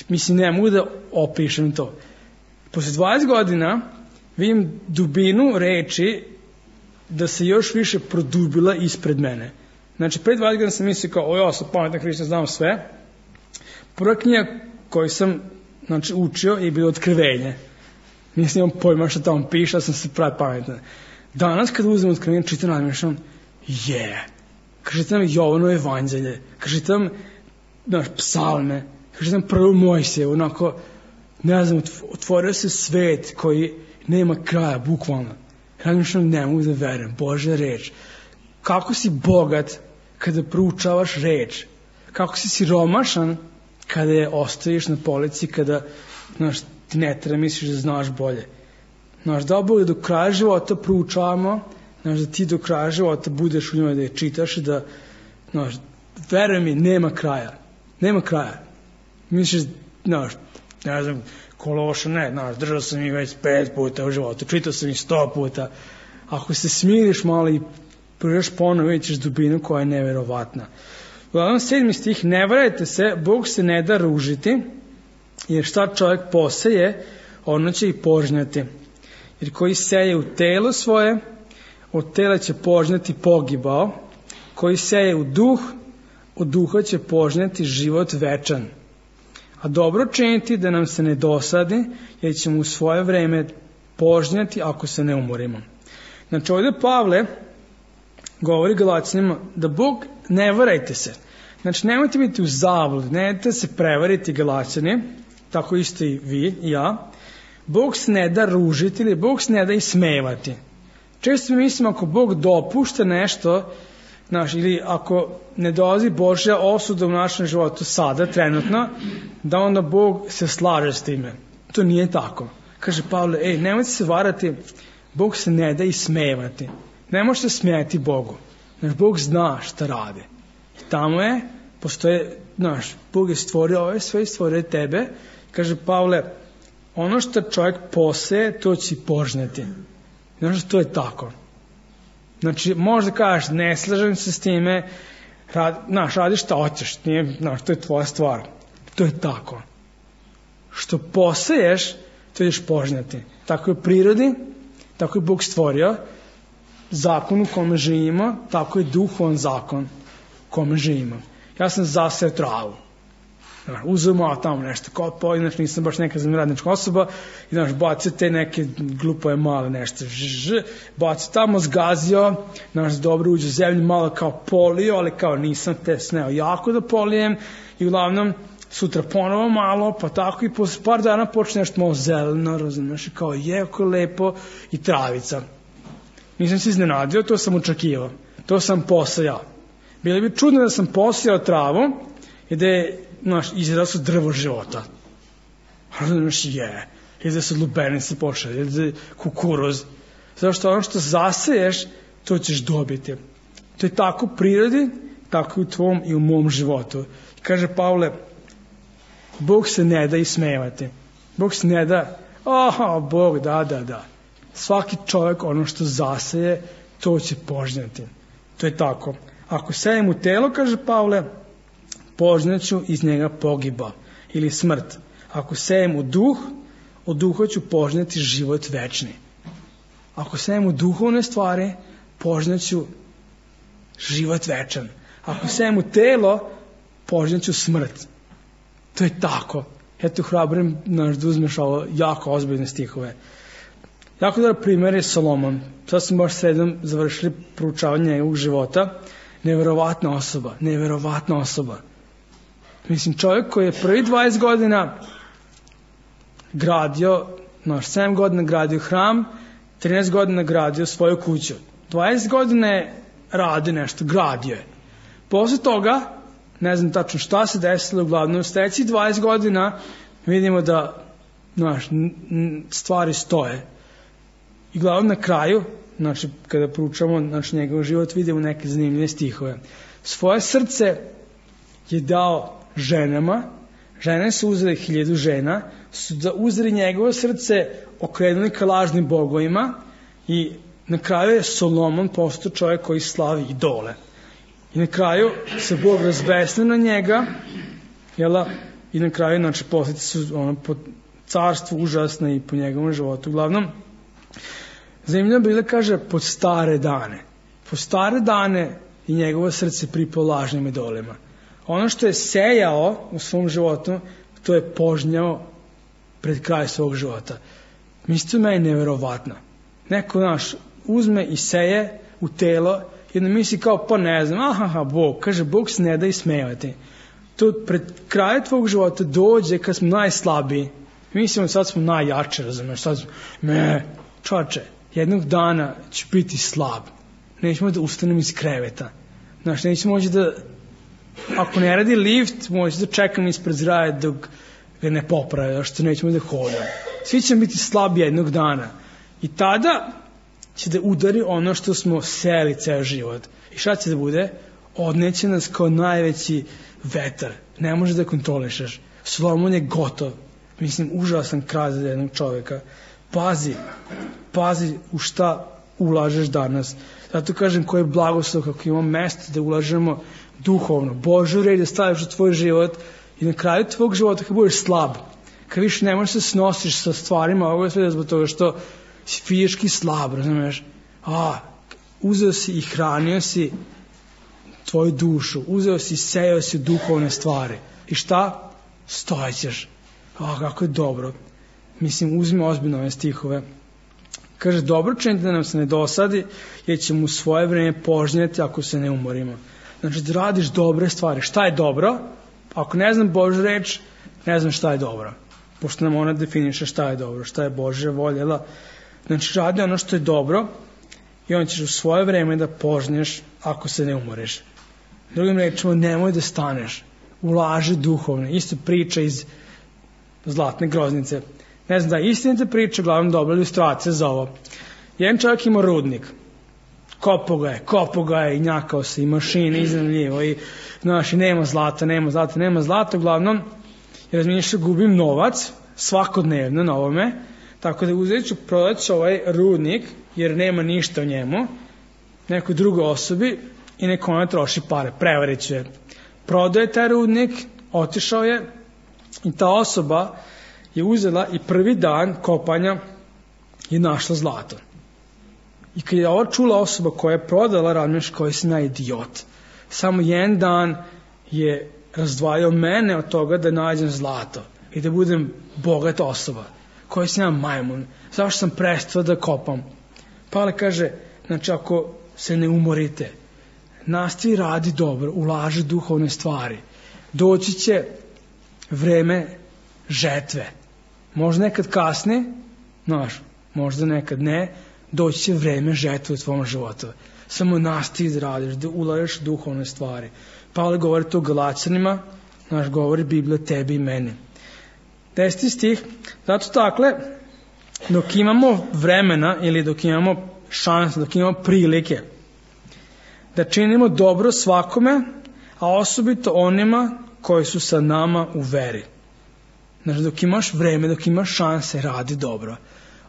Mislim, ne mogu da opišem to. Posle dvadeset godina vidim dubinu reči da se još više produbila ispred mene. Znači, pre dvadeset godina sam mislio kao, o ja sam pametan hrišćanin, znam sve. Prva knjiga koju sam znači, učio je bilo Otkrivenje. Nisam imam pojma što tamo piše, sam se pravi pametan. Danas kad uzmem Otkrivenje, čitam nadmišljam, je. Yeah. Kad čitam Jovanovo evanđelje, kad čitam naš, psalme, kad čitam prvu Mojsije, onako, ne znam, otvorio se svet koji nema kraja, bukvalno. Razmišljam, ne mogu da verujem, Božja reč. Kako si bogat kada proučavaš reč? Kako si siromašan kada je ostaviš na polici, kada, znaš, ti ne treba misliš da znaš bolje. Znaš, da Bog do kraja života proučavamo, znaš, da ti do kraja života budeš u njoj, da je čitaš i da, znaš, veruj mi, nema kraja. Nema kraja. Misliš, znaš, ne znam, Kološa, ne, znaš, držao sam ih već pet puta u životu, čitao sam ih sto puta. Ako se smiriš malo i prođeš ponovo, vidjet ćeš dubinu koja je neverovatna. Uglavnom, sedmi stih, ne varajte se, Bog se ne da ružiti, jer šta čovjek poseje, ono će i požnjati. Jer koji seje u telo svoje, od tela će požnjati pogibao, koji seje u duh, od duha će požnjati život večan. A dobro činiti da nam se ne dosadi, jer ćemo u svoje vreme požnjati ako se ne umorimo. Znači ovdje Pavle govori Galaćanima da Bog, ne varajte se. Znači nemojte biti u zabludi, nemojte se prevariti Galaćani, tako isto i vi i ja. Bog se ne da ružiti ili Bog se ne da ismevati. Često mi mislimo ako Bog dopušta nešto, znaš, ili ako ne dolazi Božja osuda u našem životu sada, trenutno, da onda Bog se slaže s time. To nije tako. Kaže Pavle, ej, nemojte se varati, Bog se ne da ismevati. Ne možete smijeti Bogu. Znaš, Bog zna šta radi. I tamo je, postoje, znaš, Bog je stvorio ove sve i stvorio tebe. Kaže Pavle, ono što čovjek poseje, to će požnjeti. Znaš, to je tako. Znači, možda kažeš, ne slažem se s time, rad, znaš, radiš šta hoćeš, nije, znaš, to je tvoja stvar. To je tako. Što poseješ, to ćeš požnjati. Tako je u prirodi, tako je Bog stvorio, zakon u kome živimo, tako je duhovan zakon u kome živimo. Ja sam zaseo travu. Uzeo malo tamo nešto kopao, inače nisam baš neka zemljoradnička osoba, i znaš, bacio te neke glupove male nešto, žž, bacio tamo, zgazio, znaš, dobro uđe u zemlju, malo kao polio, ali kao nisam te sneo jako da polijem, i uglavnom sutra ponovo malo, pa tako i posle par dana počne nešto malo zeleno, razumiješ, kao jako lepo, i travica. Nisam se iznenadio, to sam očekivao, to sam posejao. Bilo bi čudno da sam posejao travu i da je, znaš, izraslo drvo života. Znaš, je, i da su lubenice počeli, i da je kukuruz. Zato što ono što zaseješ, to ćeš dobiti. To je tako u prirodi, tako i u tvom i u mom životu. I kaže Pavle, Bog se ne da ismevati. Bog se ne da, aha, Bog, da, da, da. Svaki čovjek ono što zaseje, to će požnjati. To je tako. Ako sejem u telo, kaže Pavle, požnjaću iz njega pogiba ili smrt. Ako sejem u duh, od duha ću požnjati život večni. Ako sejem u duhovne stvari, požnjaću život večan. Ako sejem u telo, požnjaću smrt. To je tako. Eto, hrabrim naš da uzmeš ovo jako ozbiljne stihove. Jako dobar primjer je Solomon. Sad smo baš sredom završili proučavanje njegovog života. Neverovatna osoba, neverovatna osoba. Mislim, čovjek koji je prvi dvadeset godina gradio, naš sedam godina gradio hram, trinaest godina gradio svoju kuću. dvadeset godina je radio nešto, gradio je. Posle toga, ne znam tačno šta se desilo, uglavnom u sljedećih dvadeset godina vidimo da, znaš, stvari stoje. I glavno na kraju, znači, kada proučamo, znači, njegov život, vidimo neke zanimljive stihove. Svoje srce je dao ženama, žene su uzeli hiljadu žena, su da uzeli njegovo srce, okrenuli ka lažnim bogovima i na kraju je Solomon postao čovjek koji slavi idole. I na kraju se Bog razbesnio na njega, jela, i na kraju, znači, posljedice su ono, po carstvu užasne i po njegovom životu. Uglavnom, zanimljivo bilo kaže pod stare dane. Po stare dane i njegovo srce pripao lažnim idolima. Ono što je sejao u svom životu, to je požnjao pred kraj svog života. Mislite, meni neverovatno. Neko naš uzme i seje u telo i onda misli kao, pa ne znam, aha, Bog, kaže, Bog se ne da ismevati. To pred krajem tvog života dođe kad smo najslabiji. Mislimo, sad smo najjače, razumiješ, sad smo, me, čoče, jednog dana ću biti slab. Nećemo da ustanem iz kreveta. Znaš, nećemo moći da, ako ne radi lift, moći da čekam ispred zgraje dok ga ne poprave, što nećemo da hodam. Svi ćemo biti slabi jednog dana. I tada će da udari ono što smo seli ceo život. I šta će da bude? Odneće nas kao najveći vetar. Ne može da kontrolišeš. Solomon je gotov. Mislim, užasan kraj za jednog čovjeka. Pazi, pazi u šta ulažeš danas. Zato kažem koji je blagoslov kako imamo mesto da ulažemo duhovno. Božju red da staviš u tvoj život i na kraju tvog života kad budeš slab, kad više ne možeš se snosiš sa stvarima ovoga sveta zbog toga što si fizički slab, razumiješ? A, uzeo si i hranio si tvoju dušu, uzeo si i sejao si duhovne stvari. I šta? Stojećeš. A, kako je dobro. Mislim, uzmi ozbiljno ove stihove. Kaže, dobro činite da nam se ne dosadi, jer ćemo u svoje vreme požnjeti ako se ne umorimo. Znači, da radiš dobre stvari. Šta je dobro? Ako ne znam Božju reč, ne znam šta je dobro. Pošto nam ona definiše šta je dobro, šta je Božja volja. Znači, radi ono što je dobro i on ćeš u svoje vreme da požnješ ako se ne umoriš. Drugim rečima, nemoj da staneš. Ulaži duhovno. Isto priča iz Zlatne groznice. Ne znam da je istinita priča, uglavnom dobra ilustracija za ovo. Jedan čovjek ima rudnik. Kopo ga je, kopo ga je i njakao se i mašine iznajmljivo i znaš, i nema zlata, nema zlata, nema zlata, uglavnom i razmišlja, gubim novac svakodnevno na ovome, tako da uzet ću, prodat ću ovaj rudnik jer nema ništa u njemu nekoj drugoj osobi i neko ona troši pare, prevarit će je. Prodao je taj rudnik, otišao je i ta osoba je uzela i prvi dan kopanja je našla zlato. I kad je ovo čula osoba koja je prodala, razmišljaš koji sam ja idiot. Samo jedan dan je razdvajao mene od toga da nađem zlato i da budem bogata osoba. Koji sam ja majmun. Zašto sam prestao da kopam? Pavle kaže, znači ako se ne umorite, nastavi radi dobro, ulaži duhovne stvari. Doći će vreme žetve. Možda nekad kasne, znaš, možda nekad ne, doći će vreme žetve u tvom životu. Samo nastavi da radiš, da ulažeš duhovne stvari. Pavle govori to Galaćanima, naš govori Biblija tebi i meni. Deseti stih, zato takle, dok imamo vremena ili dok imamo šanse, dok imamo prilike da činimo dobro svakome, a osobito onima koji su sa nama u veri. Znači, dok imaš vreme, dok imaš šanse, radi dobro.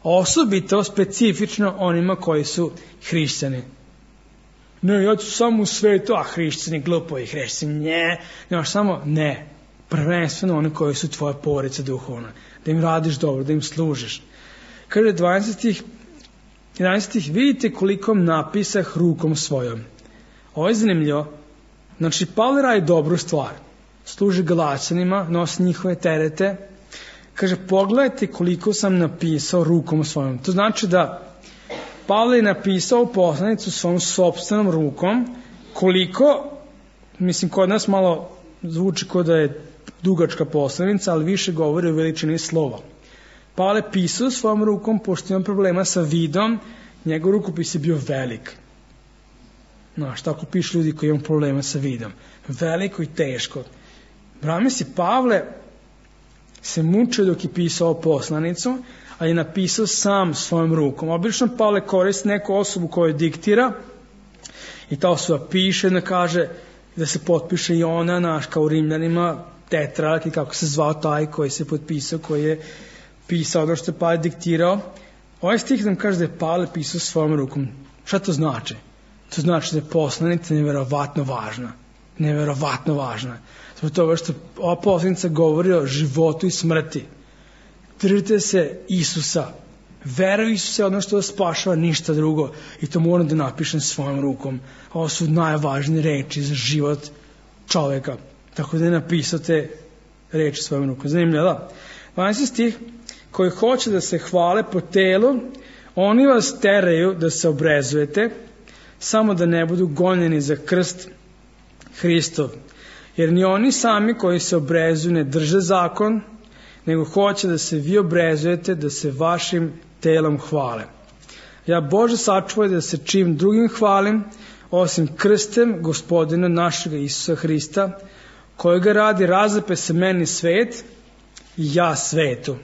Osobito, specifično onima koji su hrišćani. Ne, ja ću samo u svetu, a hrišćani, glupovi hrišćani, ne, nemaš samo, ne. Prvenstveno oni koji su tvoja porodica duhovna. Da im radiš dobro, da im služiš. Kaže dvadeset jedanaest vidite koliko napisah rukom svojom. Ovo je zanimljivo. Znači, Pavle radi dobru stvar. Služi Galaćanima, nosi njihove terete. Kaže, pogledajte koliko sam napisao rukom svojom. To znači da Pavle je napisao poslanicu svom sopstvenom rukom koliko, mislim, kod nas malo zvuči kao da je dugačka poslanica, ali više govori o veličini slova. Pavle pisao svojom rukom, pošto ima problema sa vidom, njegov rukopis je bio velik. Znaš, tako pišu ljudi koji imaju problema sa vidom. Veliko i teško. Brame si Pavle se mučio dok je pisao poslanicu, ali je napisao sam svojom rukom. Obično Pavle koristi neku osobu koju diktira i ta osoba piše, da kaže da se potpiše i ona, naš, kao u Rimljanima, tetrark i kako se zvao taj koji se potpisao, koji je pisao ono što je Pavle diktirao. Ovaj stih nam kaže da je Pavle pisao svojom rukom. Šta to znači? To znači da je poslanica neverovatno važna. Neverovatno važna. Zbog toga što ova poslanica govori o životu i smrti. Držite se Isusa. Vera u Isusa je ono što vas spašava, ništa drugo. I to moram da napišem svojom rukom. Ovo su najvažnije reči za život čoveka. Tako da je napisao te reči svojom rukom. Zanimljivo, da? dvanaesti stih, koji hoće da se hvale po telu, oni vas teraju da se obrezujete, samo da ne budu gonjeni za krst Hristov. Jer ni oni sami koji se obrezuju ne drže zakon, nego hoće da se vi obrezujete, da se vašim telom hvale. Ja Bože sačuvaj da se čim drugim hvalim, osim krstem Gospodina našega Isusa Hrista, kojega radi razape se meni svet i ja svetu.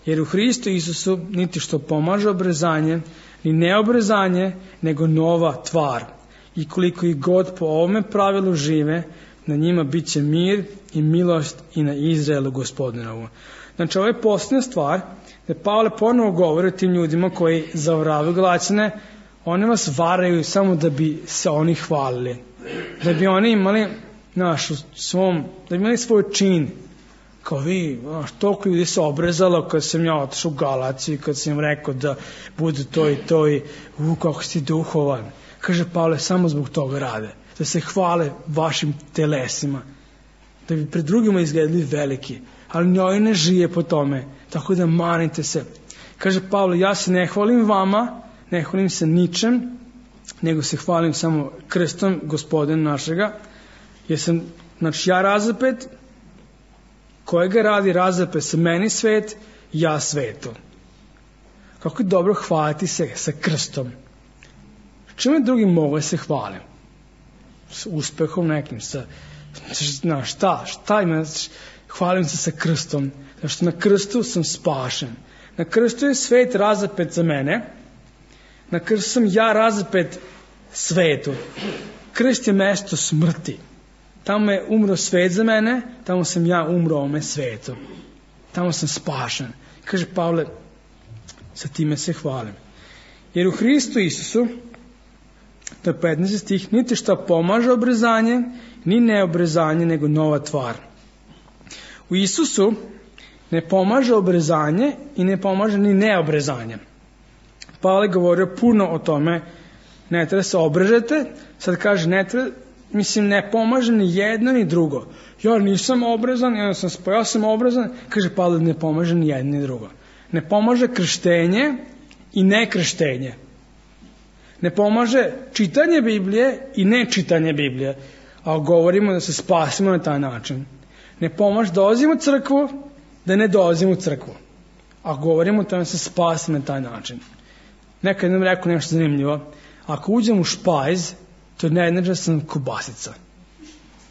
Jer u Hristu Isusu niti što pomaže obrezanje, ni neobrezanje, nego nova tvar. I koliko ih god po ovome pravilu žive, na njima bit će mir i milost i na Izraelu Gospodinovu. Znači, ovo je posljednja stvar, da Pavle ponovo govori o tim ljudima koji zavaravaju Galaćane, oni vas varaju samo da bi se oni hvalili. Da bi oni imali naš u svom, da bi imali svoj čin. Kao vi, znaš, toliko ljudi se obrezalo kad sam ja otišao u Galaciju, kad sam im rekao da bude to i to i u, kako si duhovan. Kaže Pavle, samo zbog toga rade. Da se hvale vašim telesima. Da bi pred drugima izgledali veliki. Ali njoj ne žije po tome. Tako da manite se. Kaže Pavle, ja se ne hvalim vama, ne hvalim se ničem, nego se hvalim samo krstom Gospodina našega. Jer sam, znači ja razapet, kojega radi razape se meni svet, ja svetu. Kako je dobro hvaliti se sa krstom. Čime drugim mogu se hvalim? S uspehom nekim, sa, na šta, šta ima, hvalim se sa krstom, zato što na krstu sam spašen. Na krstu je svet razapet za mene, na krstu sam ja razapet svetu. Krst je mesto smrti. Tamo je umro svet za mene, tamo sam ja umro ome svetu. Tamo sam spašen. Kaže Pavle, sa time se hvalim. Jer u Hristu Isusu, to je petnaesti stih, niti što pomaže obrezanje, ni neobrezanje, nego nova tvar. U Isusu ne pomaže obrezanje i ne pomaže ni neobrezanje. Pavle govorio puno o tome, ne treba se obrežete, sad kaže ne treba, mislim ne pomaže ni jedno ni drugo. Ja nisam obrezan, ja sam, ja sam obrezan, kaže Pavle, ne pomaže ni jedno ni drugo. Ne pomaže krštenje i nekrštenje. Ne pomaže čitanje Biblije i nečitanje Biblije, a govorimo da se spasimo na taj način. Ne pomaže da dolazimo u crkvu, da ne dolazimo u crkvu, a govorimo da se spasimo na taj način. Nekad nam rekao nešto zanimljivo, ako uđem u špajz, to ne znači da sam kobasica.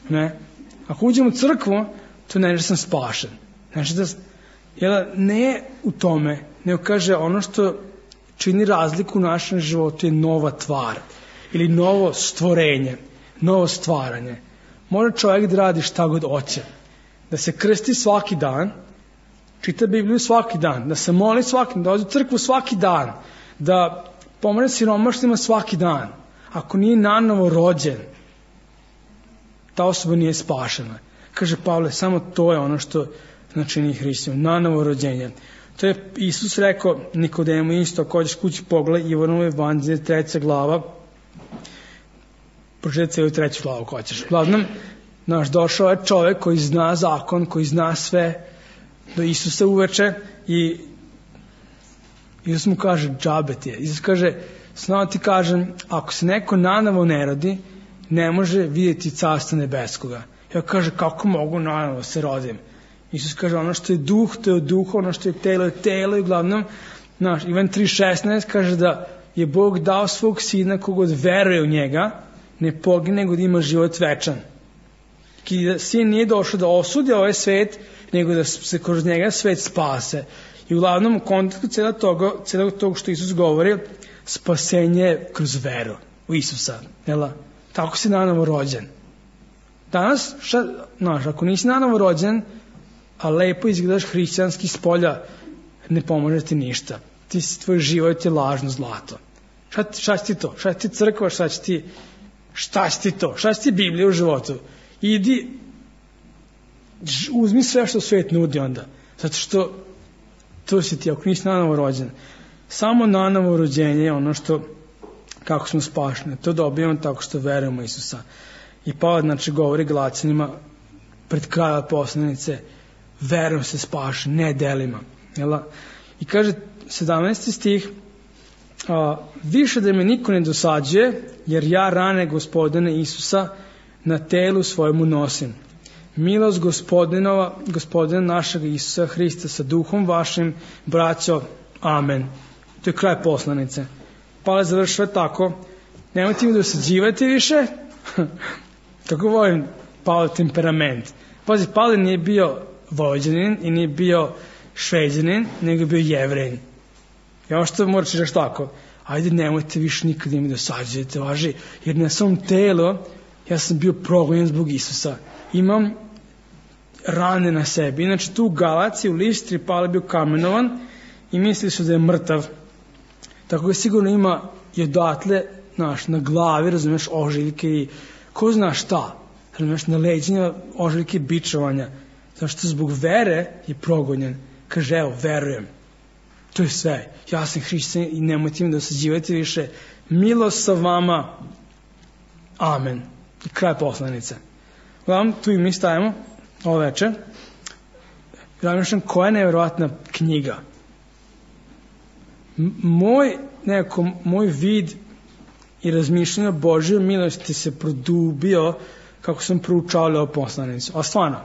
Ne? Ako uđem u crkvu, to ne znači da sam spašen. Znači da, jel, ne u tome, nego kaže ono što čini razliku u našem životu je nova tvar ili novo stvorenje, novo stvaranje. Može čovjek da radi šta god hoće, da se krsti svaki dan, čita Bibliju svaki dan, da se moli svaki dan, da ode u crkvu svaki dan, da pomogne siromašnima svaki dan. Ako nije nanovo rođen, ta osoba nije spašena. Kaže Pavle, samo to je ono što znači nije Hristom, nanovo rođenje. To je Isus rekao Nikodemu isto, ako hoćeš kući pogledaj Ivanovo evanđelje, treća glava, pročitaj cijelu treću glavu ako hoćeš. Uglavnom, naš došao je čovjek koji zna zakon, koji zna sve, do Isusa uveče i Isus mu kaže, džabe ti je. Isus kaže, snao ti kažem, ako se neko nanovo ne rodi, ne može vidjeti carstvo nebeskoga. Ja kaže, kako mogu nanovo se rodim? Isus kaže, ono što je duh, to je od duha, ono što je telo, je telo. I uglavnom, naš, Ivan tri šesnaest kaže da je Bog dao svog sina kogod veruje u njega, ne pogine, nego da ima život večan. I da sin nije došao da osudi ovaj svet, nego da se kroz njega svet spase. I uglavnom, u kontekstu celog toga, celog toga što Isus govori, spasenje kroz veru u Isusa. Jela? Tako si nanovo rođen. Danas, šta, znaš, ako nisi nanovo rođen, a lepo izgledaš hrišćanski s polja, ne pomože ti ništa. Ti si, tvoj život je lažno zlato. Šta, šta će ti to? Šta će ti crkva? Šta će ti, šta će ti to? Šta će ti Biblija u životu? Idi, uzmi sve što svijet nudi onda. Zato što to si ti, ako nisi nanovo rođen. Samo nanovo rođenje je ono što, kako smo spašeni. To dobijemo tako što verujemo Isusa. I Pavle, znači, govori Galaćanima pred kraja poslanice, verujem se spašen, ne delima. Jela? I kaže sedamnaesti stih, a, više da me niko ne dosađuje, jer ja rane Gospodine Isusa na telu svojemu nosim. Milost Gospodinova, Gospodina našeg Isusa Hrista sa duhom vašim, braćo, amen. To je kraj poslanice. Pavle završava tako, nemojte mi dosađivati više, kako volim Pavle temperament. Pazi, Pavle nije bio Vojvođanin i nije bio Šveđanin, nego je bio Jevrein. I ono što moraš reći tako, ajde nemojte više nikada mi dosađujete, važi, jer na svom telu ja sam bio progonjen zbog Isusa. Imam rane na sebi. Inače tu u Galaciji, u Listri, Pavle bio kamenovan i mislili su da je mrtav. Tako da sigurno ima i odatle, znaš, na glavi, razumiješ, ožiljke i ko zna šta, razumiješ, na leđima ožiljke bičovanja. Zašto zbog vere je progonjen. Kaže, evo, verujem. To je sve. Ja sam hrišćanin i nemojte mi dosađivati više. Milost sa vama. Amen. I kraj poslanice. Uglavnom, tu i mi stajemo ovo večer. Razmišljam, koja je nevjerovatna knjiga. M- moj, nekako, moj vid i razmišljanje o Božjoj milosti se produbio kako sam proučavao ovu poslanicu. A stvarno,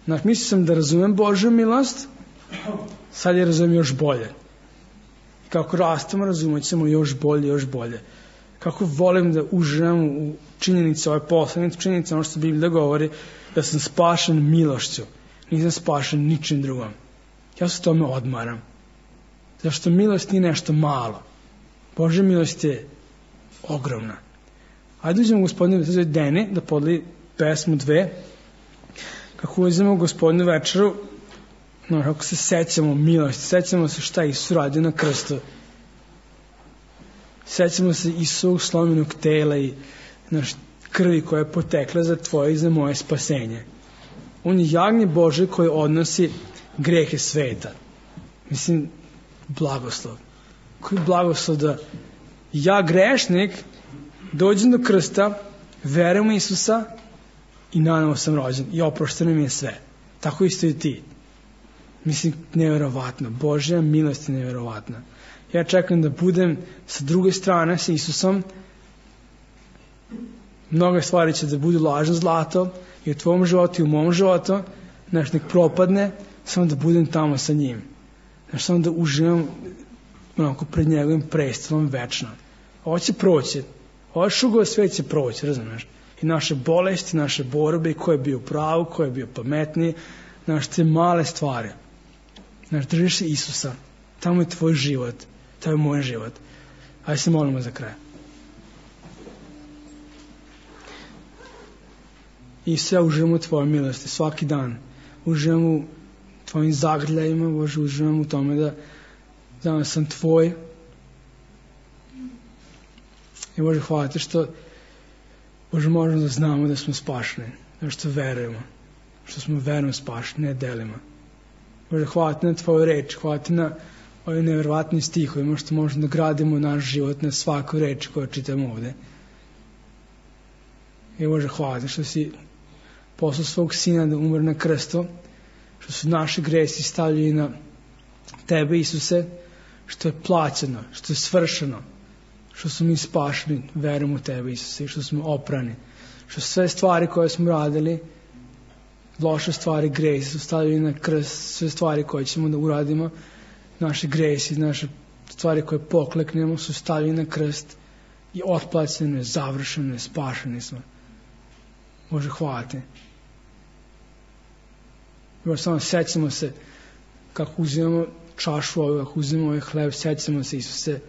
znači, mislio sam da razumem Božju milost, sad je razumem još bolje. I kako rastemo, razumjet ćemo još bolje, još bolje. Kako volim da uživam u činjenici ove poslanice, činjenici ono što Biblija govori, da sam spašen milošću, nisam spašen ničim drugom. Ja se tome odmaram. Zašto milost nije nešto malo. Božja milost je ogromna. Ajde uđemo gospodinu da Deni da podeli pesmu dve. Kako uzemo gospodinu večeru, no, kako se sećamo milosti, sećamo se šta Isus radio na krstu. Sećamo se Isusovog slomljenog tela i naš krvi koja je potekla za tvoje i za moje spasenje. On je jagnje Bože koji odnosi grehe sveta. Mislim, blagoslov. Koji blagoslov da ja grešnik dođem do krsta, verujem u Isusa i nanovo sam rođen i oprošteno mi je sve. Tako isto i ti. Mislim, nevjerovatno. Božja milost je nevjerovatna. Ja čekam da budem sa druge strane sa Isusom. Mnoge stvari će da budu lažno zlato i u tvom životu i u mom životu. Znaš, nek propadne, samo da budem tamo sa njim. Znaš, samo da uživam onako pred njegovim prestolom večno. Ovo će proći. Ovo šugova sve će proći, razumiješ? I naše bolesti, naše borbe, i ko je bio pravu, ko je bio pametniji, znaš, te male stvari. Znaš, držiš se Isusa. Tamo je tvoj život. To je moj život. Ajde se molimo za kraj. Isus, ja uživam u tvojoj milosti svaki dan. Uživam u tvojim zagrljajima, Bože, uživam u tome da danas sam tvoj. I Bože, hvala ti što Bože, možemo da znamo da smo spašeni, da što verujemo, što smo verom spašeni, ne delima. Bože, hvala ti na tvoju reč, hvala ti na ovim nevjerovatnim stihovima što možemo da gradimo naš život na svaku reč koju čitamo ovde. I Bože, hvala ti što si poslao svog sina da umre na krstu, što su naši gresi stavljeni na tebe, Isuse, što je plaćeno, što je svršeno, što smo mi spašeni verom u tebe, Isuse, i što smo oprani, što sve stvari koje smo radili, loše stvari, gresi su stavljeni na krst, sve stvari koje ćemo da uradimo, naše gresi, naše stvari koje pokleknemo su stavljeni na krst i otplaćene, završene, spašeni smo. Bože, hvala ti. Bože, samo sećamo se kako uzimamo čašu ovu, kako uzimamo ovaj hleb, sećamo se, Isuse.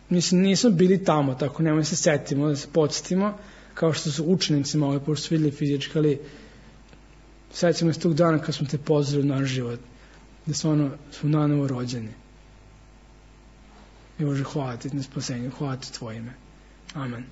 Mislim, nismo bili tamo, tako nemoj se setimo, da se podsjetimo, kao što su učenicima ovaj put su vidjeli fizički, ali sjećamo se tog dana kad smo te pozvali u naš život, da stvarno smo nanovo rođeni. I Bože, hvala ti na spasenju, hvala ti tvoje ime. Amen.